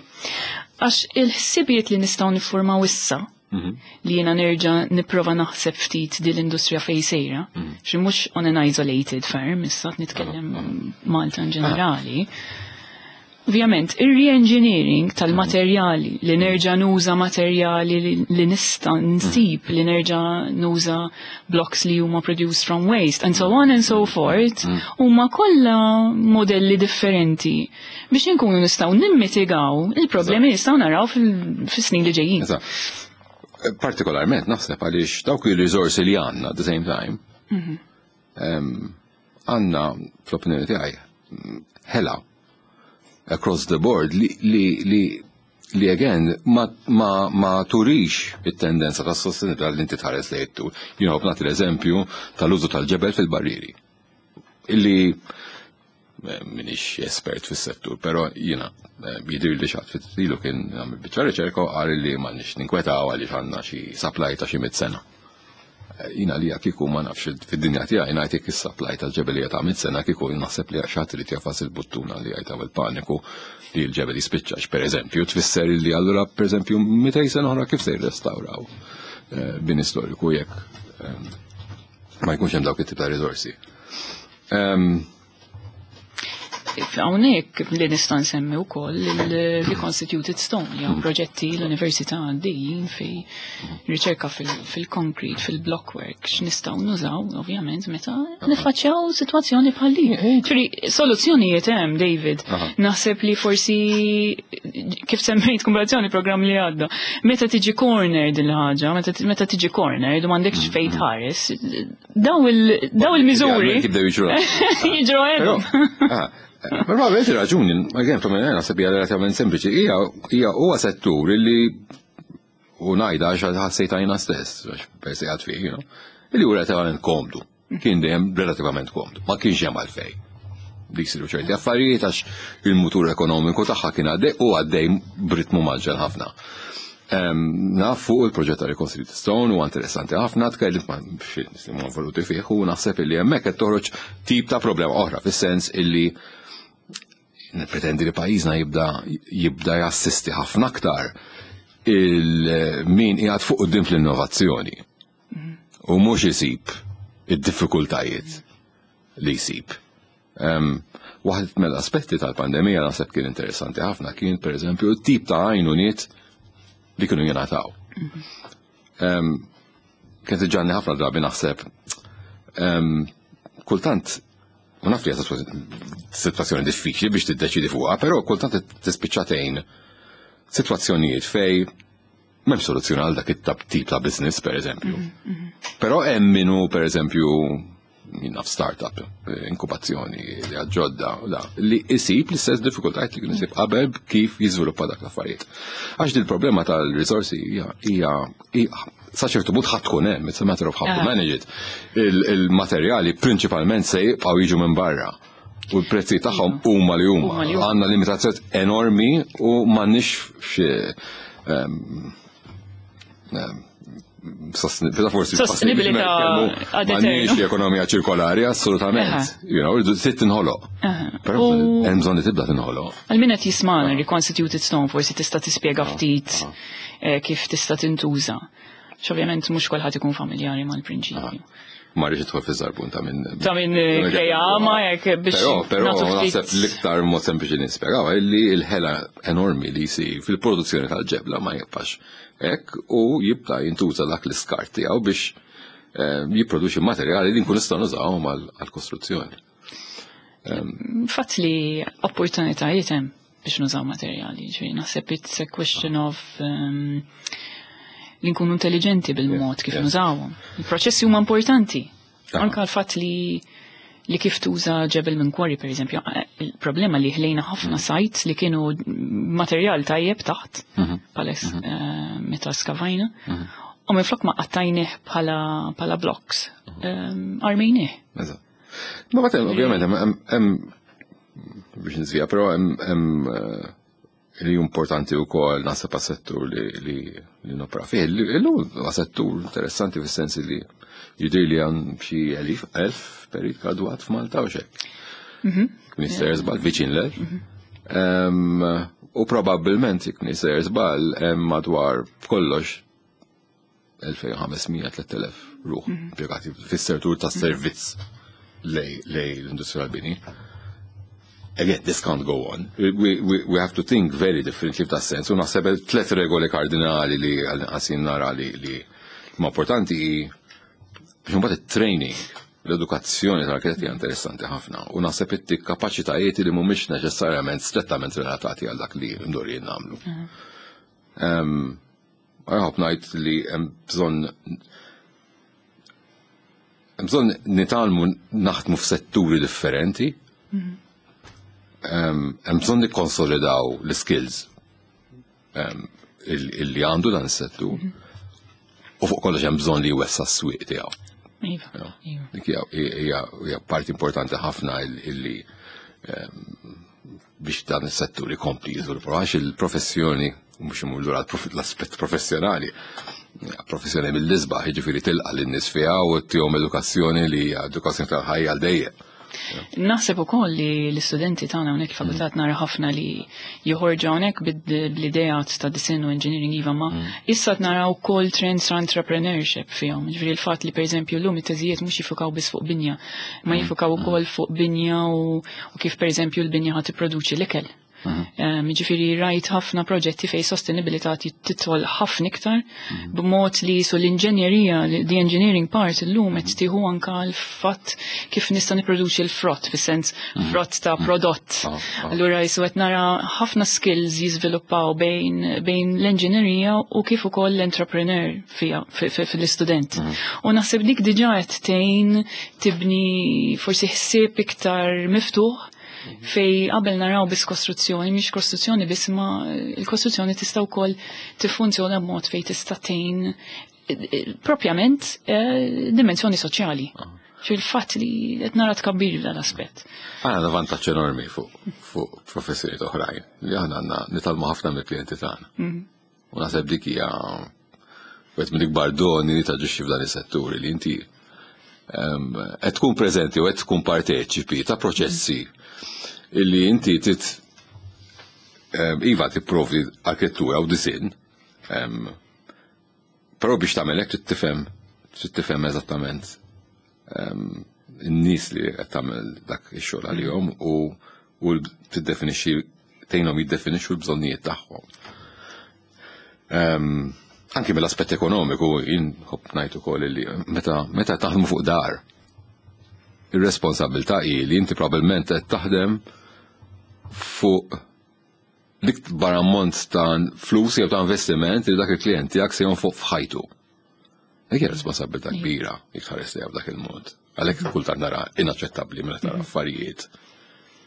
Għax il-ħsibijiet li nistgħu niffurmaw issa, li jiena nerġa' nipprova naħseb ftit din l-industrija fej sejra, xi mhux on an isolated firm, issa nitkellem Malta in ġenerali. Ovvjament, ir-re-engineering tal-materjali, li nerġa' nuża materjali li, li nista' nsib, li nerġa' nuża blocks li huma produced from waste, and so on and so forth, huma kollha modelli differenti biex inkunu nistgħu nimmitigaw il-problemi li nistgħu naraw fis-snin li ġejjin.
Partikolarment naħseb għaliex dawk il-risorsi li għandna at the same time, għandna fl-opinjoni tiegħi ħela across the board li li li li again ma, ma, ma turix it-tendenza ta' sostenibilità li inti tħares li jittu. Jien nagħti l-eżempju tal-użu tal-ġebel fil-barriri. Illi eh, minix espert fis-settur, però jiena eh, jidir li xatt fit-tilu kien għamil biċċa riċerka u qal li ma nix ninkwetaw għaliex għandna xi supply ta' xi mitt sena. Jiena li kieku ma nafx fid-dinja tiegħi ngħid jekk is-supply tal-ġebelija ta' mitt sena, kieku naħseb li xi ħadd irid jagħfas il-buttuna li jgħid il-paniku li l-ġebel jispiċċax, pereżempju, tfisser li allura pereżempju mitejn sena oħra kif se jirrestawraw eh, bini storiku jekk ehm, ma jkunx hemm dawk it-tip ta' riżorsi. Ehm,
Hawnhekk li nista' nsemmi wkoll il-Reconstituted Stone, jew proġetti l-Università għaddejjin fi riċerka fil-concrete, fil-blockwork, x'nistgħu nużaw ovvjament meta nifaċċjaw sitwazzjoni bħal din. Ġifieri soluzzjonijiet hemm, David. Naħseb li forsi kif semmejt komparazzjoni programm li għadda, meta tiġi corner din il-ħaġa, meta tiġi corner u m'għandekx fejn tħares, daw il-miżuri jiġru għedhom.
Però avete raġuni, again, from naħseb hija relativament sempliċi, hija hija huwa settur illi u ngħidha għax ħassejta jiena stess, għax persi għad fih, you know, illi hu relativament komdu. Kien dejjem relativament komdu, ma kienx hemm għalfejn. Dik siru ċerti affarijiet għax il-mutur ekonomiku tagħha kien għaddej u għaddej b'ritmu mgħaġġel ħafna. Naf fuq il-proġett ta' Reconstructed Stone u interessanti ħafna, tkellimt ma' xi nies li huma involuti fih u naħseb illi hemmhekk qed toħroġ tip ta' problema oħra fis-sens illi pretendi li pajjiżna jibda jibda jassisti ħafna aktar il-min qiegħed fuq quddiem fl-innovazzjoni. U mhux isib id-diffikultajiet li jsib. Waħed mill-aspetti tal-pandemija naħseb kien interessanti ħafna kien pereżempju t-tip ta' għajnuniet li kienu jingħataw. Kien tiġġanni ħafna drabi naħseb kultant u naf li hija sitwazzjoni diffiċli biex tiddeċidi fuqha, però kultant tispiċċa tgħin sitwazzjonijiet fej m'hemm soluzzjoni għal dak it-tip ta' business, per eżempju. Però hemm minnu, per eżempju, jien naf startup, inkubazzjoni li ġodda, da, li isib l-istess diffikultajiet li kien isib qabel kif jiżviluppa dak l-affarijiet. Għax din il-problema tal-risorsi hija hija sa ċertu punt ħadd tkun hemm, it's a matter of how to manage it. Il-materjali prinċipalment se jibqgħu jiġu minn barra. U l-prezzi tagħhom huma li huma. Għandna limitazzjoni enormi u m'għandniex xi forsi
sostenibilità
m'għandniex ekonomija ċirkolari assolutament. You know, trid tinħoloq. Però hemm bżonn li tibda tinħoloq.
Għal min qed jismana Reconstituted Stone forsi tista' tispjega ftit kif tista' tintuża. X'ovvjament mhux kulħadd ikun familjari mal-prinċipju.
Ma rridx idħol fiż-żarbun ta' minn
ta' minn kreama jekk biex
Però però naħseb l-iktar mod sempliċi nispjegaw li l-ħela enormi li jsir fil-produzzjoni tal-ġebla ma jibqax hekk u jibda jintuża dak l-iskart tiegħu biex jipproduċi materjali li nkun nistgħu nużawhom għall-kostruzzjoni.
Fatt li opportunitajiet hemm biex nużaw materjali, ġifieri naħseb it's a question of um, li nkunu intelligenti bil-mod kif nużawhom. Il-proċessi huma importanti.
Ah.
Anka l-fatt li li kif tuża ġebel minn quarry, per eżempju, eh, il-problema li ħlejna ħafna
Mm.
sites li kienu materjal tajjeb taħt,
Mhm.
pales eh, meta skavajna, u minflok ma qattajnih bħala bħala blocks,
Mhm.
um, armejnih.
Eżatt. Ma bagħad ovvjament hemm hemm biex nżvija, però hemm hemm eh, li importanti wkoll naħseb għas-settur li li li nopera fih. Illum huwa settur interessanti fis-sens li jidher li għan xi elif elf perit gradwat f'Malta u xek. Minister żball viċin l-elf. Em, U probabbilment jekk minister żball hemm madwar kollox elfejn u ħames mija tliet elef ruħ impjegati fis-settur tas-servizz lej lej l-industrija tal-bini. Again, this can't go on. We, we, we have to think very differently f'da sens. U naħseb tlet regoli kardinali li għasin nara li, li ma importanti hi biex mbagħad it-training, l-edukazzjoni tal-arkitetti hija interessanti ħafna. U naħseb it kapaċitajiet li mhumiex neċessarjament strettament relatati għal dak li mdorrijin nagħmlu. Um, Għaħob ngħid li hemm bżonn hemm bżonn nitgħallmu naħdmu f'setturi differenti. Hemm hemm bżonn nikkonsolidaw l-skills em, il- illi għandu dan is-settur. U fuq kollox hemm bżonn li jwessa s-swieq tiegħu.
Iva,
You know?
iva.
Dik hija hija hija parti importanti ħafna il- illi em, biex dan is-settur ikompli jiżviluppa għax il-professjoni mhux imur lura l-aspett professjonali. hija Professjoni mill-isbaħ, jiġifieri tilqa' lin-nies fiha u ttihom edukazzjoni li hija edukazzjoni tal-ħajja għal dejjem.
Naħseb ukoll li l-istudenti tagħna hawnhekk il-fakultà nara ħafna li joħorġu hawnhekk bl-idea ta' design u engineering, iva, ma issa qed naraw ukoll trends ta' entrepreneurship fihom. Ġifieri l-fatt li, pereżempju, llum it-teżijiet mhux jiffukaw biss fuq binja, ma jiffukaw ukoll fuq binja u, u kif, pereżempju, l-binja ħa tipproduċi l-ikel. Um, Ġifieri rajt ħafna proġetti fej sostenibilità titħol ħafna iktar b'mod li su l-inġenjerija, the engineering part illum qed tieħu anka l-fatt kif nista' nipproduċi l-frott, fis-sens frott ta' prodott.
Ah, ah.
Allura jisu qed nara ħafna skills jiżviluppaw bejn bejn l-enġinerija u kif ukoll l-entrepreneur fija fil-istudent. U naħseb dik diġà qed tgħin tibni forsi ħsieb iktar miftuħ fej qabel naraw biss kostruzzjoni, mhix kostruzzjoni biss, ma il-kostruzzjoni tista' wkoll tiffunzjona b'mod fej tista' tgħin eh, eh, propjament eh, dimensjoni soċjali. Fil-fatt li qed nara tkabbir f'dan l-aspett.
Għandna għandna vantaġġ enormi fuq fuq professjonijiet oħrajn li aħna għandna nitgħallmu ħafna mill-klijenti tagħna. U naħseb dik hija wieħed mill-ikbar doni li taġixxi f'dan is-setturi li inti em, qed tkun preżenti u qed tkun parteċipi ta' proċessi illi inti tit em, iva tipprovdi arkitettura u disinn, em, però biex tagħmel hekk trid tifhem trid tifhem eżattament em, in-nies li qed tagħmel dak ix-xogħol għalihom u u tiddefinixxi, tgħinhom jiddefinixxu l-bżonnijiet tagħhom. Em, anki mill-aspett ekonomiku, jien nħobb ngħid ukoll li meta meta taħdmu fuq dar, ir-responsabilità hi li inti probabbilment qed taħdem fuq l-ikbar ammont ta' flus jew ta' investiment li dak il-klient tiegħek se jonfoq f'ħajtu. Dik hija responsabilità kbira jekk tħares lejha b'dak il-mod. Għalhekk kultant nara inaċċettabbli meta tara affarijiet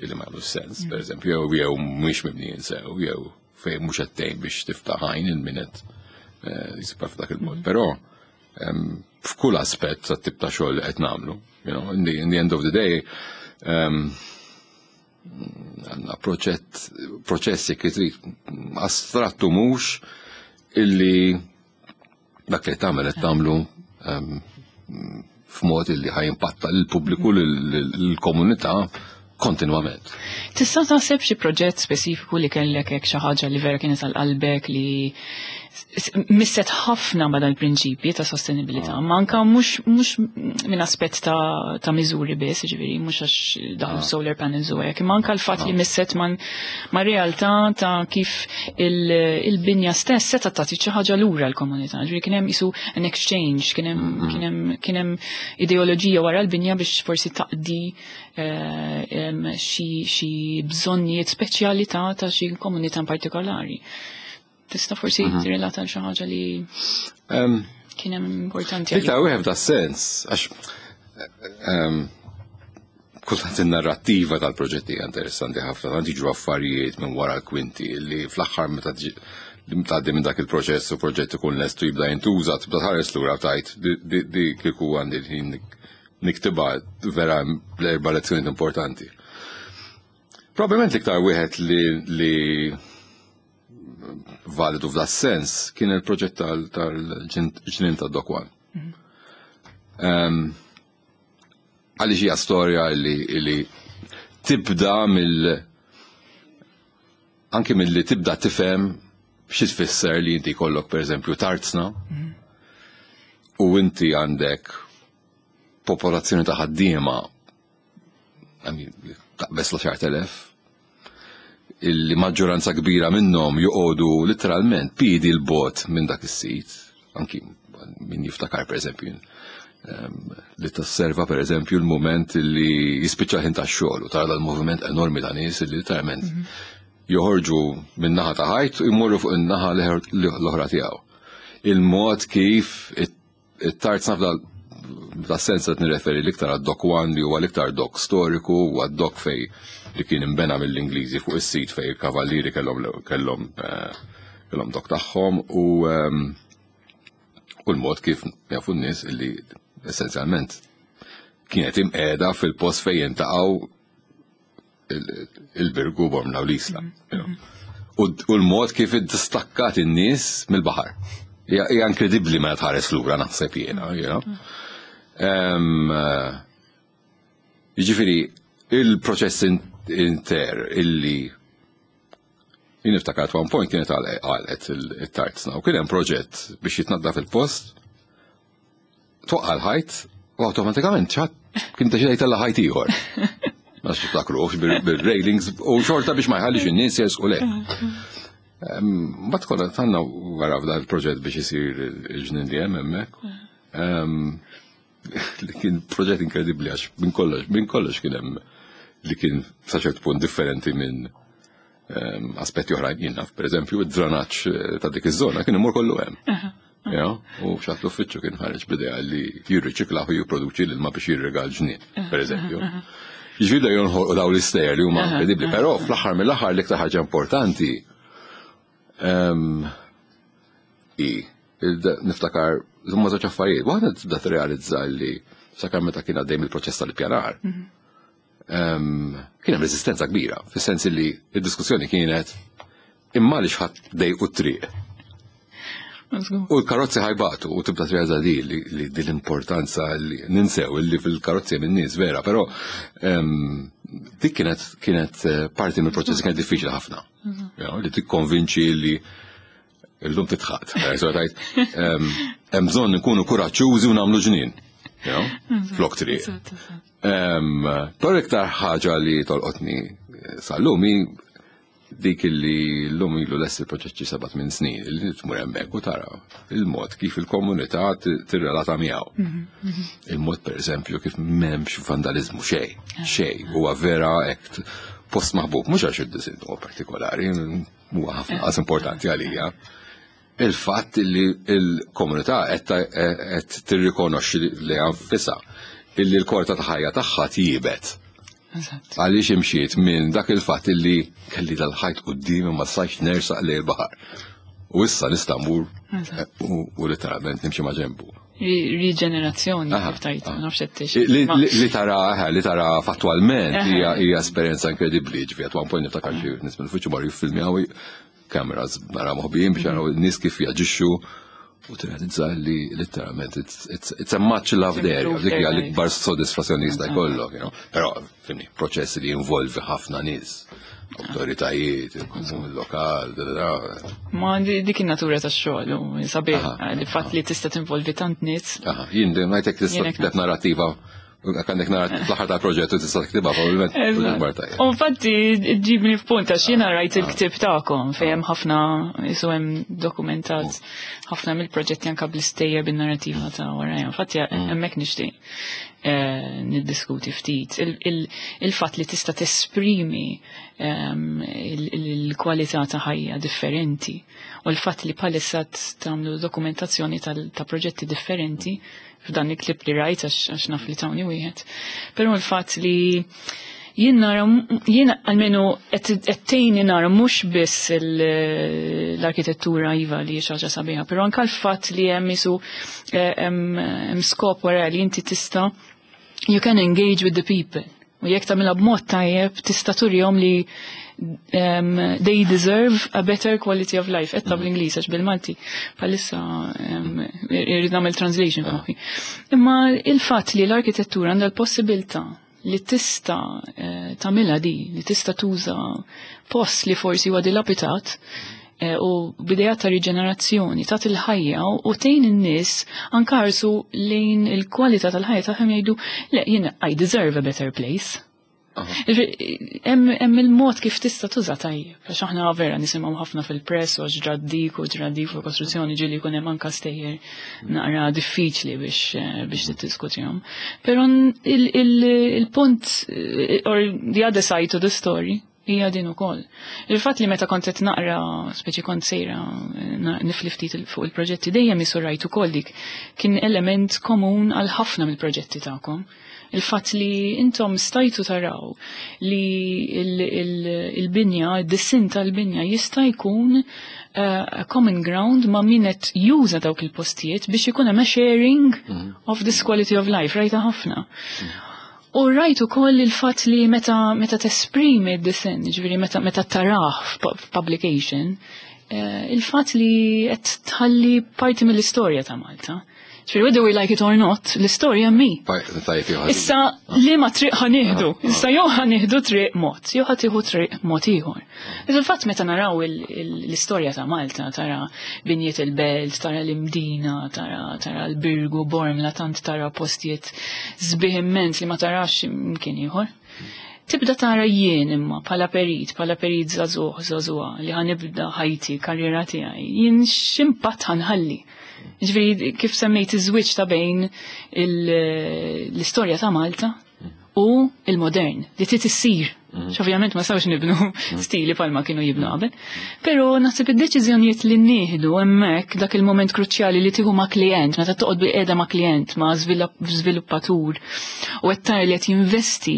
illi ma jagħmlu sens, per eżempju, jew jew mhux mibnijin sew, jew fejn mhux qed tgħin biex tiftaħ għajn il-minet jisibha f'dak il-mod. Però em, f'kull aspett tat-tip ta' xogħol li qed nagħmlu, you know, in the, in the end of the day, um, għandna proċett, proċessi kif trid astrattu mhux illi dak li tagħmel qed tagħmlu um, f'mod illi ħa jimpatta lill-pubbliku, lill-komunità kontinwament.
Tista' taħseb xi proġett speċifiku li kellek hekk, xi ħaġa li vera kienet għal qalbek li Misset ħafna ma dal-prinċipji ta' sostenibilità, ma anka mhux mhux minn aspett ta' ta' miżuri biss, ġifieri mhux għax daħlu solar panels u hekk, imma anka l-fatt li misset man ma' realtà ta' kif il- il-binja stess seta' tagħti xi ħaġa lura l-komunità. Ġifieri kien hemm isu an exchange, kien hemm kien hemm kien hemm ideoloġija wara l-binja biex forsi taqdi eh, em, xi xi bżonnijiet speċjali ta' ta' xi komunità in partikolari. Tista' forsi tirrelata għal xi ħaġa li
Um,
kien hemm importanti
Iktar wieħed f'da sens, għax um, kultant in-narrattiva tal-proġetti hija interessanti ħafna, tant jiġu affarijiet minn wara l-kwinti li fl-aħħar meta tiġi- li tgħaddi minn dak il-proċess u proġett ikun lestu jibda jintuża, tibda tħares lura tajt di- di di kieku għandi l-ħin nik- niktibha vera l-erba' lezzjonijiet importanti. Probabbilment l-iktar wieħed li, li validu f'da sens kien il-proġett tal-ġnien ta' Dock One. Um, Għaliex hija storja li, li tibda mill anke mill-li tibda tifhem xi tfisser li inti jkollok pereżempju tarzna u inti għandek popolazzjoni ta' ħaddiema, I mean, taqbeż l-għaxart elef, illi maġġoranza kbira minnhom joqogħdu literalment piedi 'l bogħod minn dak is-sit, anki min jiftakar pereżempju em, li tosserva pereżempju l-moment li jispiċċa ħin tax-xogħol u tara dal-moviment enormi ta' nies li literalment joħorġu minn naħa ta' ħajt u jmorru fuq in-naħa l-oħra tiegħu. Il-mod kif it-tarzna f'dal da sens qed nirreferi l-iktar għad-Dock One, li huwa l-iktar dock storiku u għad-dock fej li kien imbena mill-Ingliżi fuq is-sit fej il-kavallieri kellhom kellhom eh, kellhom dock tagħhom u ehm, u l-mod kif jafu n-nies illi essenzjalment kienet imqiegħda fil-post fejn jintaqgħu il-Birgu, Bormla u l-Isla. you know. U u l-mod kif iddistakkat in-nies mill-baħar. Hija hija inkredibbli meta tħares lura, naħseb jiena, you know. Em, eh, Jiġifieri, il-proċess in- inter illi jien niftakar at one point kienet għalqet il-tarzna u kien hemm proġett biex jitnaddaf il-post, twaqqa l-ħajt u awtomatikament ċat kien deċida jtella' ħajt ieħor. Ma tiftakrux bil-railings u xorta biex ma jħallix in-nies jersqu le. Mbagħad kollha tanna wara f'dan il-proġett biex isir il-ġnien li hemm hemmhekk. Em, Li kien proġett inkredibbli għax minn kollox, minn kollox kien hemm li kien sa ċert punt differenti minn em, aspetti oħrajn. Jien naf, per eżempju, id-dranaġġ eh, ta' dik iż-żona kien imur kollu hemm. Ja, u xat l-uffiċċju kien ħareġ b'idea li jirriċiklaw u jipproduċi l-ilma biex jirriga l-ġnien, per eżempju. Ġifieri da jonħolqu daw l-istejjer li huma inkredibbli, però fl-aħħar mill-aħħar l-iktar ħaġa importanti em, i il- niftakar huma żewġ affarijiet. Waħda tibda tirrealizza li sakemm meta kien għaddej mill-proċess tal-ippjanar, em, kien hemm reżistenza kbira, fis-sens li id-diskussjoni kienet imma li xħat dejqu t-triq. U l-karozzi ħa jbatu u tibda tirrealizza di li, li din l-importanza li ninsew li fil-karozzi minn nies vera, però em, dik kienet kienet eh, parti mill-proċess kienet diffiċli ħafna. You know, li tikkonvinċi li illum titħat. Eh, so tajt, em, hemm bżonn nkunu kuraġġużi u nagħmlu ġnien. You know, flok triq.
Eżatt, eżatt.
Em, Però iktar ħaġa li tolqotni eh, sal-lum hi dik li l-lum ilu lest il-proġett xi seba' minn snin, li tmur hemmhekk u tara il-mod kif il-komunità ti- tirrelata miegħu. Il-mod per eżempju kif m'hemmx vandalizmu xejn, xejn, huwa vera hekk post maħbub, mhux għax id-disinn huwa partikolari, huwa ħafna qas importanti għalija. Il-fatt li il-komunità qed qed tirrikonoxxi li nfisha illi l-kwalità ta' ħajja tagħha tjiebet.
Eżatt.
Għaliex imxiet minn dak il-fatt illi kelli dal-ħajt qudiemi, ma stajtx nersaq lejn il-baħar. U issa nista' mmur
Eżatt.
u u literalment nimxi ma' ġenbu.
Ri- Riġenerazzjoni,
Aha,
kif tajt,
aha.
ma nafx qed tix.
Li,
Ma-
li, li tara, eh, li tara fattualment
Aha.
hija hija esperjenza inkredibbli, ġifieri at one point niftakar xi nies mill-uffiċċju marru jiffilmjaw, cameras nara moħbijin biex jaraw n-nies kif jaġixxu u tirrealizza li literalment it's, it's, it's a much loved area,
Improved
dik hija
their life.
l-ikbar sodisfazzjoni jista' jkollok, you know. Però, fimni, proċessi li jinvolvi ħafna nies, Autoritajiet, il-konsum lokal, da, da, da.
Ma di- dik in-natura tax-xogħol u sabiħ
Aha,
il-fatt li tista' tinvolvi tant nies.
Aha, jien dejjem ngħidlek tista'
Jien hekk
tikteb narrativa, għandek narrativa fl-aħħar tal-proġett u tista' tiktibha probabbilment
Eżatt.
ikbar tajjeb.
U infatti ġibni f'punt għax jiena rajt il-ktib tagħkom fejn hemm ħafna isu hemm dokumentat ħafna mill-proġetti anka bl-istejjer bin-narrativa ta' warajja. Infatti hemmhekk nixtieq eh, niddiskuti ftit. Il- il- Il-fatt li tista' tesprimi ehm, il- il- il-kwalità ta' ħajja differenti u l-fatt li bħalissa tagħmlu dokumentazzjoni tal- ta' proġetti differenti f'dan il-klip li rajt għax għax naf li tawni wieħed. Però l-fatt li jien nara, jien almenu qed tgħinni nara mhux biss il- l-arkitettura iva li hija xi ħaġa sabiħa, però anke l-fatt li hemm isu eh, hemm hemm skop wara li inti tista' you can engage with the people. U jekk tagħmilha b'mod tajjeb tista' turihom li um, they deserve a better quality of life. Etta bl-Ingliż għax bil-Malti bħalissa um, irrid nagħmel translation f'moħħi. Imma il-fatt li l-arkitettura għandha l-possibilità li tista' eh, tagħmilha di, li tista' tuża post li forsi huwa dilapidat eh, u b'idea ta' riġenerazzjoni, ta' il-ħajja u tgħin in-nies anke ħarsu lejn il-kwalità tal-ħajja tagħhom jgħidu le jien I deserve a better place. Hemm hemm il-mod kif tista' tuża tajjeb. Għax aħna vera nisimgħu ħafna fil-press u għax ġrat dik u ġrat dik fuq kostruzzjoni ġieli jkun hemm anke stejjer naqra diffiċli biex eh, biex tiddiskutihom. Però il- il- il-punt eh, or the other side to the story hija din ukoll. Il-fatt li meta kont qed naqra, speċi kont sejra eh, na- nifli ftit il- fuq il-proġetti dejjem isu rajt ukoll dik kien element komun għal ħafna mill-proġetti tagħkom. Il-fatt li intom stajtu taraw li il- il- il-binja, il-disinn tal-binja jista' jkun uh, a common ground ma' min qed juża dawk il-postijiet biex ikun hemm a sharing of this quality of life, rajta ħafna. U rajt ukoll il-fatt li meta meta tesprimi d-disinn, ġifieri meta meta tarah f'pu- f'publication, eh, il-fatt li qed tħalli parti mill-istorja ta' Malta. Ġifieri whether we like it or not, l-istorja mi.
Tajjeb jew ħażin.
Issa li ma triq ħa nieħdu, issa jew ħa nieħdu triq mod, jew ħa tieħu triq mod ieħor. Iżda il-fatt meta naraw il- il- l-istorja ta' Malta, tara binjiet il-belt, tara l-Imdina, tara tara l-Birgu, Bormla, tant tara postijiet sbieħ immens li ma tarax imkien ieħor. Tibda tara jien imma bħala perit, bħala perit żagħżugħ, żagħżugħa li ħa nibda ħajti, karriera tiegħi, jien x'impatt ħa nħalli. Ġifieri kif semmejt iż-żwieġ ta' bejn il- l-istorja ta' Malta u il-modern, li trid issir. Ovvjament ma sawx nibnu stili palma kienu jibnu qabel. Però naħseb id-deċiżjonijiet li nieħdu hemmhekk dak il-moment kruċjali li tieħu ma' klient, meta toqgħod bil-qiegħda ma' klient, ma' żviluppatur u qed tara li qed jinvesti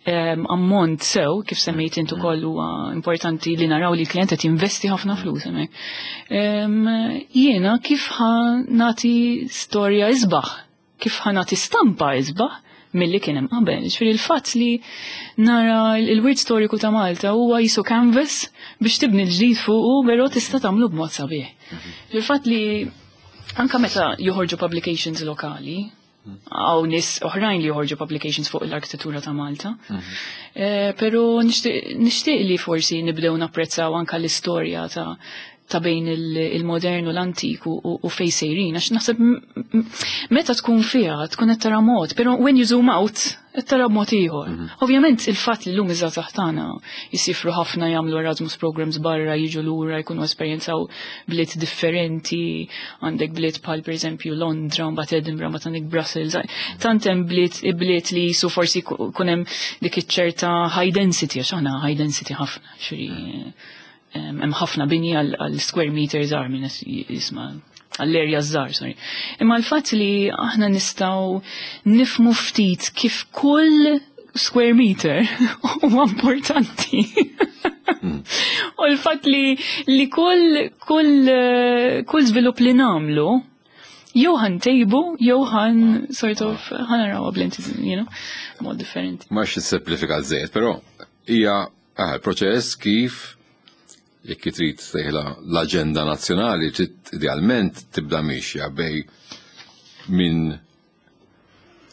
em, ammont sew, kif semmejt intu ukoll huwa importanti li naraw li l-klient qed jinvesti ħafna flus hemmhekk. Em, Jiena kif ħa nagħti storja isbaħ, kif ħa nagħti stampa isbaħ milli kien hemm qabel. Ġifieri il-fatt li nara il-wirt storiku ta' Malta huwa jisu canvas biex tibni l-ġdid fuqu, però tista' tagħmlu b'mod sabiħ. Il-fatt li anka meta joħorġu publications lokali, għaw nies oħrajn li joħorġu publications fuq l-arkitettura ta' Malta. Eh, Pero nixtieq nixtieq li forsi nibdew napprezzaw anka l-istorja ta' ta' bejn il- il-modern u l-antik u, u, u fej sejrin, għax naħseb m- m- meta tkun fiha tkun qed tara mod, però when you zoom out qed tara b'mod ieħor. Ovvjament il-fatt li llum iż-żgħażagħ tagħna jisifru ħafna jagħmlu Erasmus programs barra, jiġu lura, jkunu esperjenzaw bliet differenti, għandek bliet bħal pereżempju Londra, mbagħad Edinburgh, mbagħad għandek Brussels, tant hemm bliet bliet li jisu forsi kun hemm dik iċ-ċerta high density, għax aħna high density ħafna, xiri hemm ħafna bini għal għal square meters żgħar minn jisma' għall-area żgħar, sorry. Imma l-fatt li aħna nistgħu nifmu ftit kif kull square meter huwa importanti. U l-fatt li li kull kull eh, kull żvilupp li nagħmlu jew ħa ntejbu, jew ħa sort of ħa narawha b'lenti, you know, mod differenti.
Ma xi żejt, però hija ah, proċess kif jekk trid sejħla l-aġenda nazzjonali trid idealment tibda mixja bej minn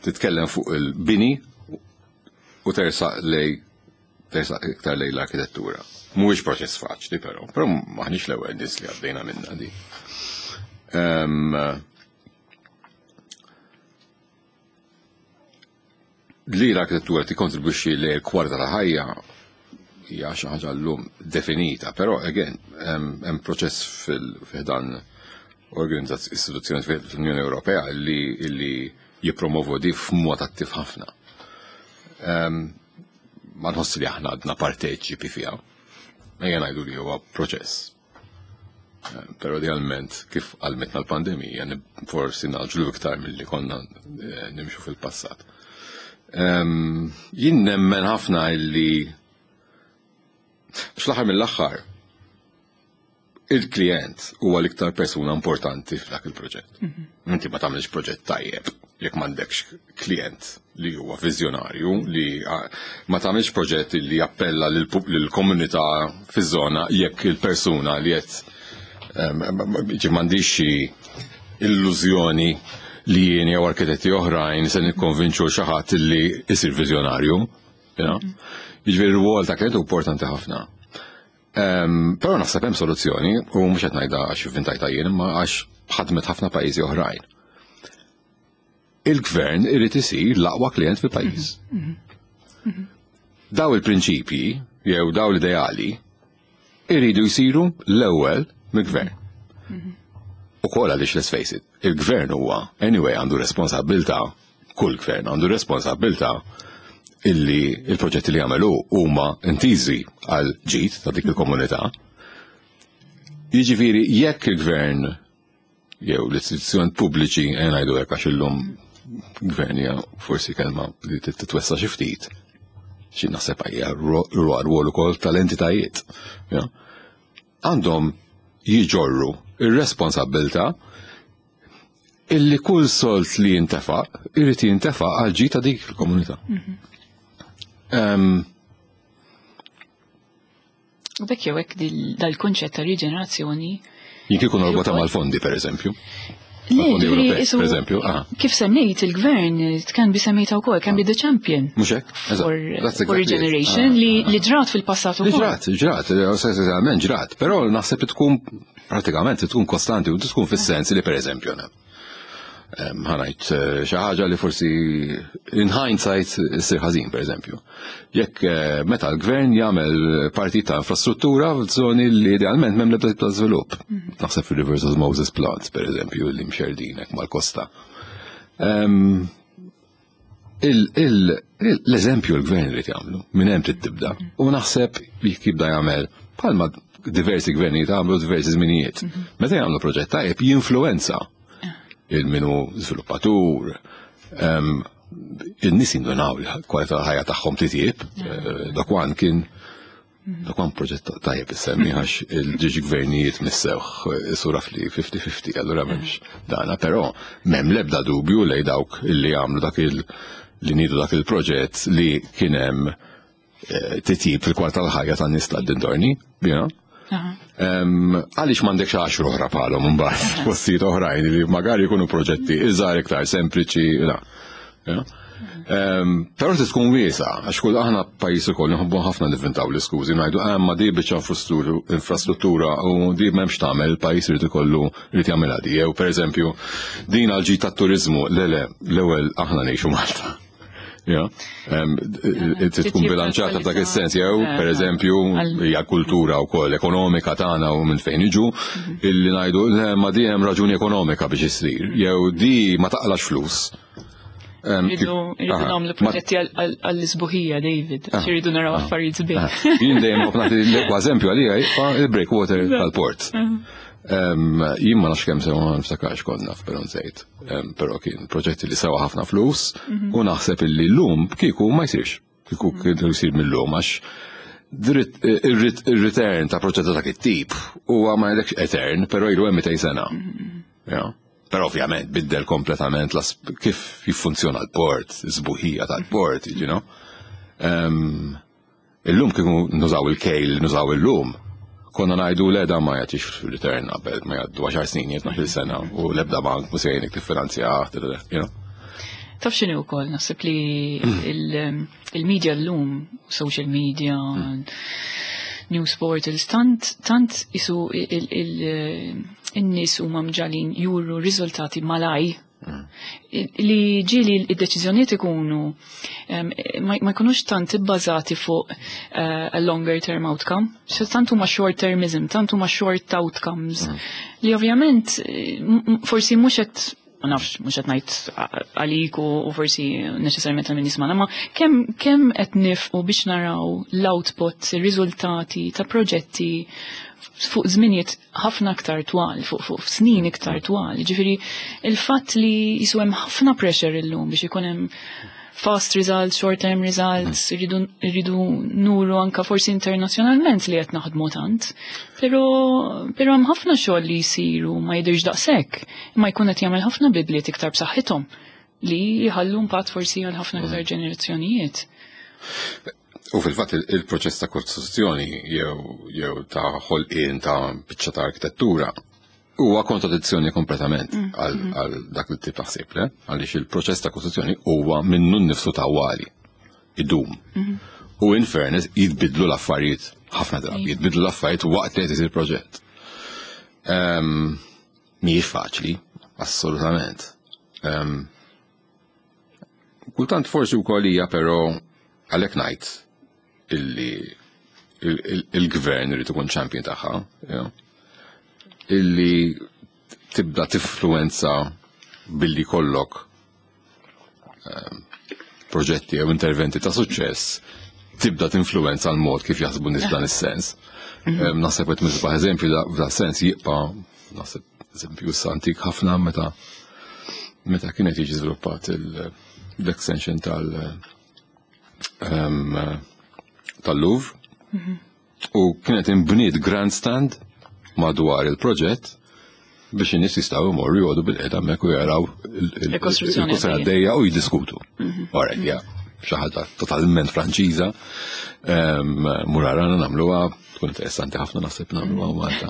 titkellem fuq il-bini u tersaq lej Tersaq iktar lejn l-arkitettura. Mhuwiex proċess faċli però, però maħniex l-ewwel nies li għaddejna minna di. Em, Li l-arkitettura tikkontribwixxi li l-kwalità ta' ħajja hija xi ħaġa llum definita, però again hemm hemm proċess fil-ħdan organizzazzjoni istituzzjoni fl-Unjoni Ewropea li li jippromovu di f'mod attiv ħafna. Em, Ma nħoss li aħna għadna parteċipi fiha. Ejja ngħidu li huwa proċess. Eh, Però idealment kif għalmetna l-pandemija nib- forsi naġlu iktar milli konna eh, nimxu fil-passat. Em, Jien nemmen ħafna illi fl-aħħar mill-aħħar il-klient huwa l-iktar persuna importanti f'dak il-proġett. Inti ma tagħmilx proġett tajjeb jekk m'għandekx klient li huwa viżjonarju li ah, ma tagħmilx proġett li jappella lill-komunità fiż-żona jekk il-persuna li qed em, ġi m'għandix xi illużjoni li jien jew arkitetti oħrajn se nikkonvinċu xi ħadd li jsir viżjonarju. You know? Jiġifieri r-rwol ta' klient hu importanti ħafna. Um, Però naħseb hemm soluzzjoni u mhux qed ngħidha għax ivvintajtha jien imma għax ħadmet ħafna pajjiżi oħrajn. Il-gvern irid isir l-aqwa klient fil-pajjiż. Daw il-prinċipji jew daw l-ideali iridu jsiru l-ewwel mill-gvern. U kol għaliex let's face it, il-gvern huwa anyway għandu responsabbiltà, kull gvern għandu responsabbiltà illi il-proġetti li jagħmlu huma intiżi għal ġid ta' dik il-komunità. Jiġifieri jekk il-gvern jew l-istituzzjoni pubbliċi eh, ngħidu hekk għax illum gvern hija forsi kelma li titwessa xi ftit. Xi naħseb hija rwol ukoll tal-entitajiet. ja. Għandhom jiġorru ir-responsabbiltà illi kull sold li jintefaq irid jintefaq għal ġid ta' dik il-komunità. Em,
U bekk jew hekk dil- dal-kunċett ta' riġenerazzjoni.
Jien kieku norbotha mal-fondi, per eżempju.
Le,
Mal-fondi
ġifieri,
Ewropej,
isu-
per eżempju. Ah,
Kif semmejt il-gvern, can be semmejta wkoll, can be the champion
mhux hekk? Eżatt.
for,
That's
for
exactly it.
regeneration
Ah,
li, li ġrat fil-passat
Li
ukoll.
ġrat, ġrat, essenzialment ġrat, però naħseb li tkun pratikament tkun kostanti u tkun fis-sens li per eżempju na. Em, ħa ngħid eh, xi ħaġa li forsi in hindsight issir ħażin per eżempju. Jekk eh, meta l-gvern jagħmel parti ta' infrastruttura f'żoni li idealment m'hemm l-ebda tip ta' żvilupp. Naħseb fil-Reverse Osmosis Plants per eżempju li mxerdinek mal-kosta. Em, il- il- il- L-eżempju l-gvern irid jagħmlu, minn hemm trid tibda. U naħseb jekk jibda jagħmel bħalma diversi gvernijiet għamlu diversi żminijiet. Meta jagħmlu proġett tajjeb jinfluenza il-minu żviluppatur, em, in-nies jindunaw li kwalità tal-ħajja tagħhom titjib, eh, Dokwan kien Dokwan proġett tajjeb issemmi għax il-ġiġi gvernijiet missewh sura fli fifty fifty, allura m'hemmx dana, però m'hemm l-ebda dubju lej dawk illi għamlu dak il li nidu dak il-proġett li kien hemm eh, titjib fil-kwalità tal-ħajja tan-nies tad-dintorni, you know?
Aha.
Em, Għaliex m'għandekx għaxra oħra bħalhom mbagħad postijiet oħrajn li magari jkunu proġetti iżgħar iktar sempliċi, la. You know? Em, Però trid tkun wiesa, għax kull aħna pajjiż ukoll nħobbu ħafna nivvintaw l-iskużi, ngħidu ah ma di biċċa infrastruttura- infrastruttura u di m'hemmx tagħmel, il-pajjiż irid ikollu irid jagħmilha di. Jew pereżempju din għal ġid tat-turiżmu, le le, l-ewwel aħna ngħixu Malta. Ja, Em, trid tkun bilanċata f'dak is-sens, jew per eżempju hija kultura wkoll ekonomika tagħna u minn fejn iġu illi ngħidu le ma di hemm raġuni ekonomika biex issir, jew di ma taqlax flus. Em,
Rridu
kif-
rridu
aha,
nagħmlu
ma-
proġetti għall-isbuħija, David, għax irridu naraw affarijiet sbieħ.
Jien dejjem nagħti l-ekwa eżempju għalija jibqa' il-breakwater tal-port. Em, Jien ma nafx kemm sewa ma niftakarx konna però nsejt. Em, Però kien proġetti li sewa ħafna flus u naħseb illi llum kieku ma jsirx. Kieku kien jsir mill-lum għax dritt- ir-return ta' proġett ta' dak it-tip huwa ma jgħidlekx etern, però ilu hemm mitejn sena. Ja. Però ovvjament biddel kompletament las kif jiffunzjona l-port, is-sbuħija tal-port, you know. Um, illum kieku nużaw il-kejl, nużaw illum, konna ngħidu le da ma jagħtix return qabel ma jgħaddu għaxar snin, tnax-il sena u l-ebda bank mhu se jgħinek tiffinanzja, you know.
Taf x'inhi wkoll, naħseb li il- il-media llum, social media, news portals, tant, tant isu il- il- in-nies huma mġagħlin juru riżultati malajr li ġieli id-deċiżjonijiet ikunu em, ma ma jkunux tant ibbażati fuq eh, a longer term outcome. So tant huma short termism, tant huma short outcomes li ovvjament eh, m- m- forsi mhux qed, ma nafx, mhux qed ngħid għalik u u forsi neċessarjament għal min jismana, ma kemm kemm qed nifqu biex naraw l-output, ir-riżultati ta' proġetti fuq żminijiet ħafna aktar twal, fuq fuq snin iktar twal. Ġifieri il-fatt li jisu hemm ħafna pressure illum biex ikun hemm fast results, short term results, irridu irridu nuru anka forsi internazzjonalment li qed naħdmu tant. Però però hemm ħafna xogħol li jsiru ma jidhirx daqshekk, imma jkun qed jagħmel ħafna bidliet iktar b'saħħithom li jħallu impatt forsi għal ħafna iktar ġenerazzjonijiet.
U fil-fatt il- il-proċess ta' kostruzzjoni jew jew ta' ħolqien ta' biċċa ta' arkitettura huwa kontradizzjoni kompletament għal għal dak il tip ta' ħsieb, le? Għaliex il-proċess ta' kostruzzjoni huwa minnu nnifsu tawwali, idum. U in fairness jitbidlu l-affarijiet ħafna drabi, jitbidlu l-affarijiet waqt li qed isir proġett. Ehm, Mhijiex faċli, assolutament. Ehm, Kultant forsi wkoll hija, però għalhekk ngħid illi il- il- il-gvern irid ikun champion tagħha, you know, illi tibda tifluenza billi kollok ehm, proġetti jew interventi ta' suċċess, tibda tinfluenza l-mod kif jaħsbu nies f'dan is-sens. Ehm, Naħseb qed misbaħ eżempju da- f'dan sens jibqa', naħseb, eżempju issa antik ħafna, meta meta kienet jiġi żviluppat il- l-extension tal ehm, tal-Louvre u kienet imbniet grandstand madwar il-proġett biex in-nies jistgħu jmorru jgħodu bil-qiegħda hemmhekk u jaraw il- il-
Il-kostruzzjoni
il-kostruzzjoni għaddejja u jiddiskutu. Alright, yeah, xi ħaġa totalment Franċiża. Ehm, Murarana nagħmluha, tkun interessanti ħafna naħseb nagħmluha Malta.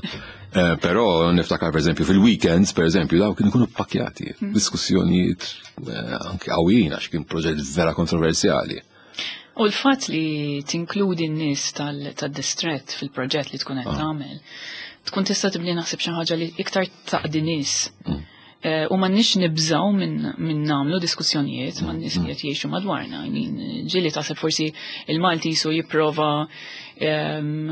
Eh, Però niftakar, per eżempju, fil-weekends, per eżempju, daw kienu jkunu pakjati, diskussjonijiet eh, anke qawwijin għax kien proġett vera kontroversjali.
U l-fatt li tinkludi n-nies tal-distret fil-proġett li tkun qed tagħmel, tkun tista' tibni, naħseb, xi ħaġa li iktar taqdi nies. Eh, U m'għandniex nibżaw minn min nagħmlu diskussjonijiet ma' nies li qed jgħixu madwarna. I mean, ġieli taħseb forsi il-Malti jisu jipprova em,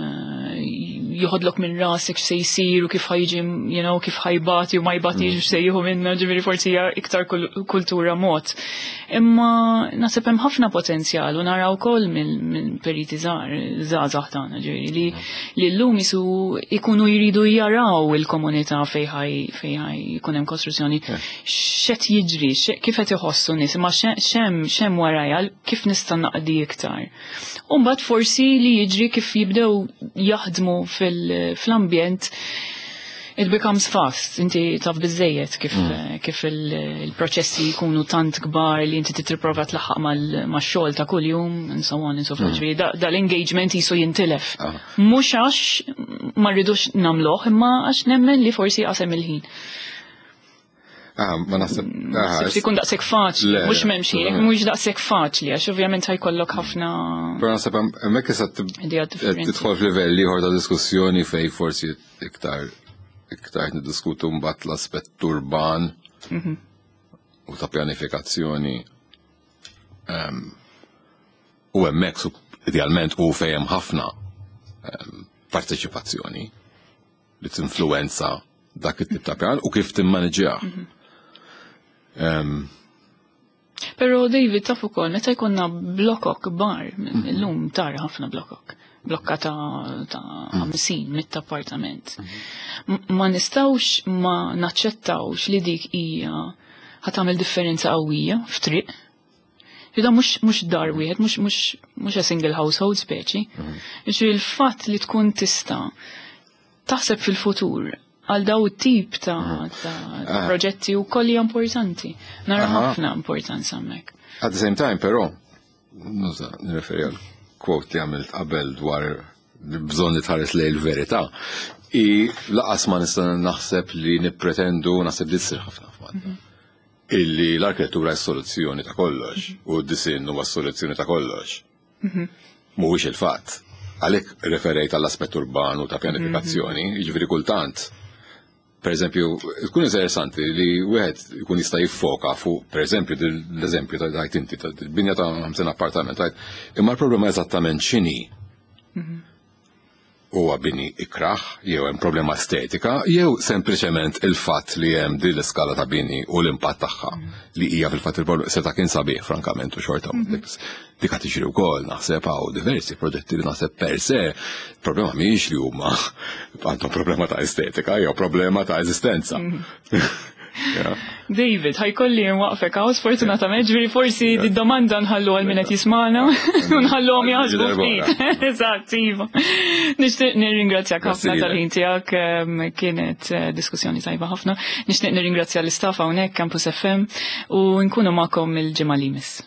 joħodlok minn rasek x'se jsir u kif ħa jiġi, you know, kif ħa jbati u ma jbatix u x'se jieħu minna, ġifieri forsi hija iktar kul- kultura mod. Imma naħseb hemm ħafna potenzjal u naraw ukoll minn minn periti żgħar, żgħażagħ tagħna, ġifieri li li llum jisu ikunu jridu jaraw il-komunità fejn ħaj fejn ħaj jkun hemm kostruzzjoni, x'qed jiġri, x'e- kif qed iħossu nies, imma xe- x'hemm x'hemm warajja, kif nista' naqdi iktar. U mbagħad forsi li jiġri kif jibdew jaħdmu fil- fl-ambjent, it becomes fast, inti taf biżżejjed kif, kif il- il-proċessi jkunu tant kbar li inti titripprova tlaħħaq mal- max-xogħol ta' kuljum and so on and so forth. Ġifieri da- Dal-engagement jisu jintilef.
Ah.
Mhux għax ma rridux nagħmluh, imma għax nemmen li forsi qasem il-ħin.
Ah, ma naħseb. Ah,
Naħseb ikun daqshekk faċli,
Le,
mhux
le,
m'hemmx ħin,
le.
mhux daqshekk faċli, għax ovvjament ħa jkollok ħafna
Però naħseb hemmhekk issa tib-
ideat differenti.
tidħol f'livell ieħor ta' diskussjoni fej forsi iktar iktar niddiskutu mbagħad l-aspett urban u ta' pjanifikazzjoni. Em, U hemmhekk su- idealment u fejn hemm ħafna em, parteċipazzjoni li tinfluwenza dak it-tip ta' pjan u kif timmaniġġjah. Em,
Pero David, taf ukoll meta jkollna blokok kbar, illum tara ħafna blokok, blokka ta' ta' ħamsin, mitt appartament. M- Ma nistawx ma naċċettawx li dik hija ħa tagħmel differenza qawwija f'triq. Ida mhux mhux dar wieħed, mhux mhux mhux a single household speċi. Ġifieri il-fatt li tkun tista' taħseb fil-futur għal daw it-tip ta' ta' ta' proġetti u kolli importanti. Nara
Aha.
ħafna importanza hemmhekk.
At the same time, però, nuża, nirreferi għal quote li għamilt qabel dwar bżonn li tħares lejn il-verità. I lanqas ma nista' naħseb li nippretendu, naħseb li tsir ħafna f'Malta. Illi l-arkitettura s-soluzzjoni ta' kollox u d-disinn huwa s-soluzzjoni ta' kollox. Mhuwiex il-fatt. Għalhekk referejt għall-aspett urbanu ta' pjanifikazzjoni, jiġifieri kultant, per eżempju, tkun interessanti li wieħed ikun jista' jiffoka fuq, per eżempju, l-eżempju ta' tajt inti, ta' binja ta' ħamsin appartament, tajt, imma l-problema eżattament x'inhi? Huwa bini ikraħ, jew hemm problema estetika, jew sempliċement il-fatt li hemm din l-iskala ta' bini u l-impatt tagħha li hija fil-fatt il-problema seta' kien sabiħ frankament u xorta dik qed tiġri wkoll. Naħseb hawn diversi proġetti li naħseb per se problema mhijiex li huma għandhom problema ta' estetika jew problema ta' eżistenza.
David, ħa jkolli nwaqfek hawn, sfortunatament, ġifieri forsi di domanda nħallu għal min qed jismagħna, nħalluhom jaħsbu ftit. Eżatt, iva. Nixtieq nirringrazzjak ħafna tal-ħin tiegħek, kienet eh, diskussjoni tajba ħafna. Nixtieq nirringrazzja l-istaff hawnhekk Campus F M u nkunu magħkom il-ġimgħa li jmiss.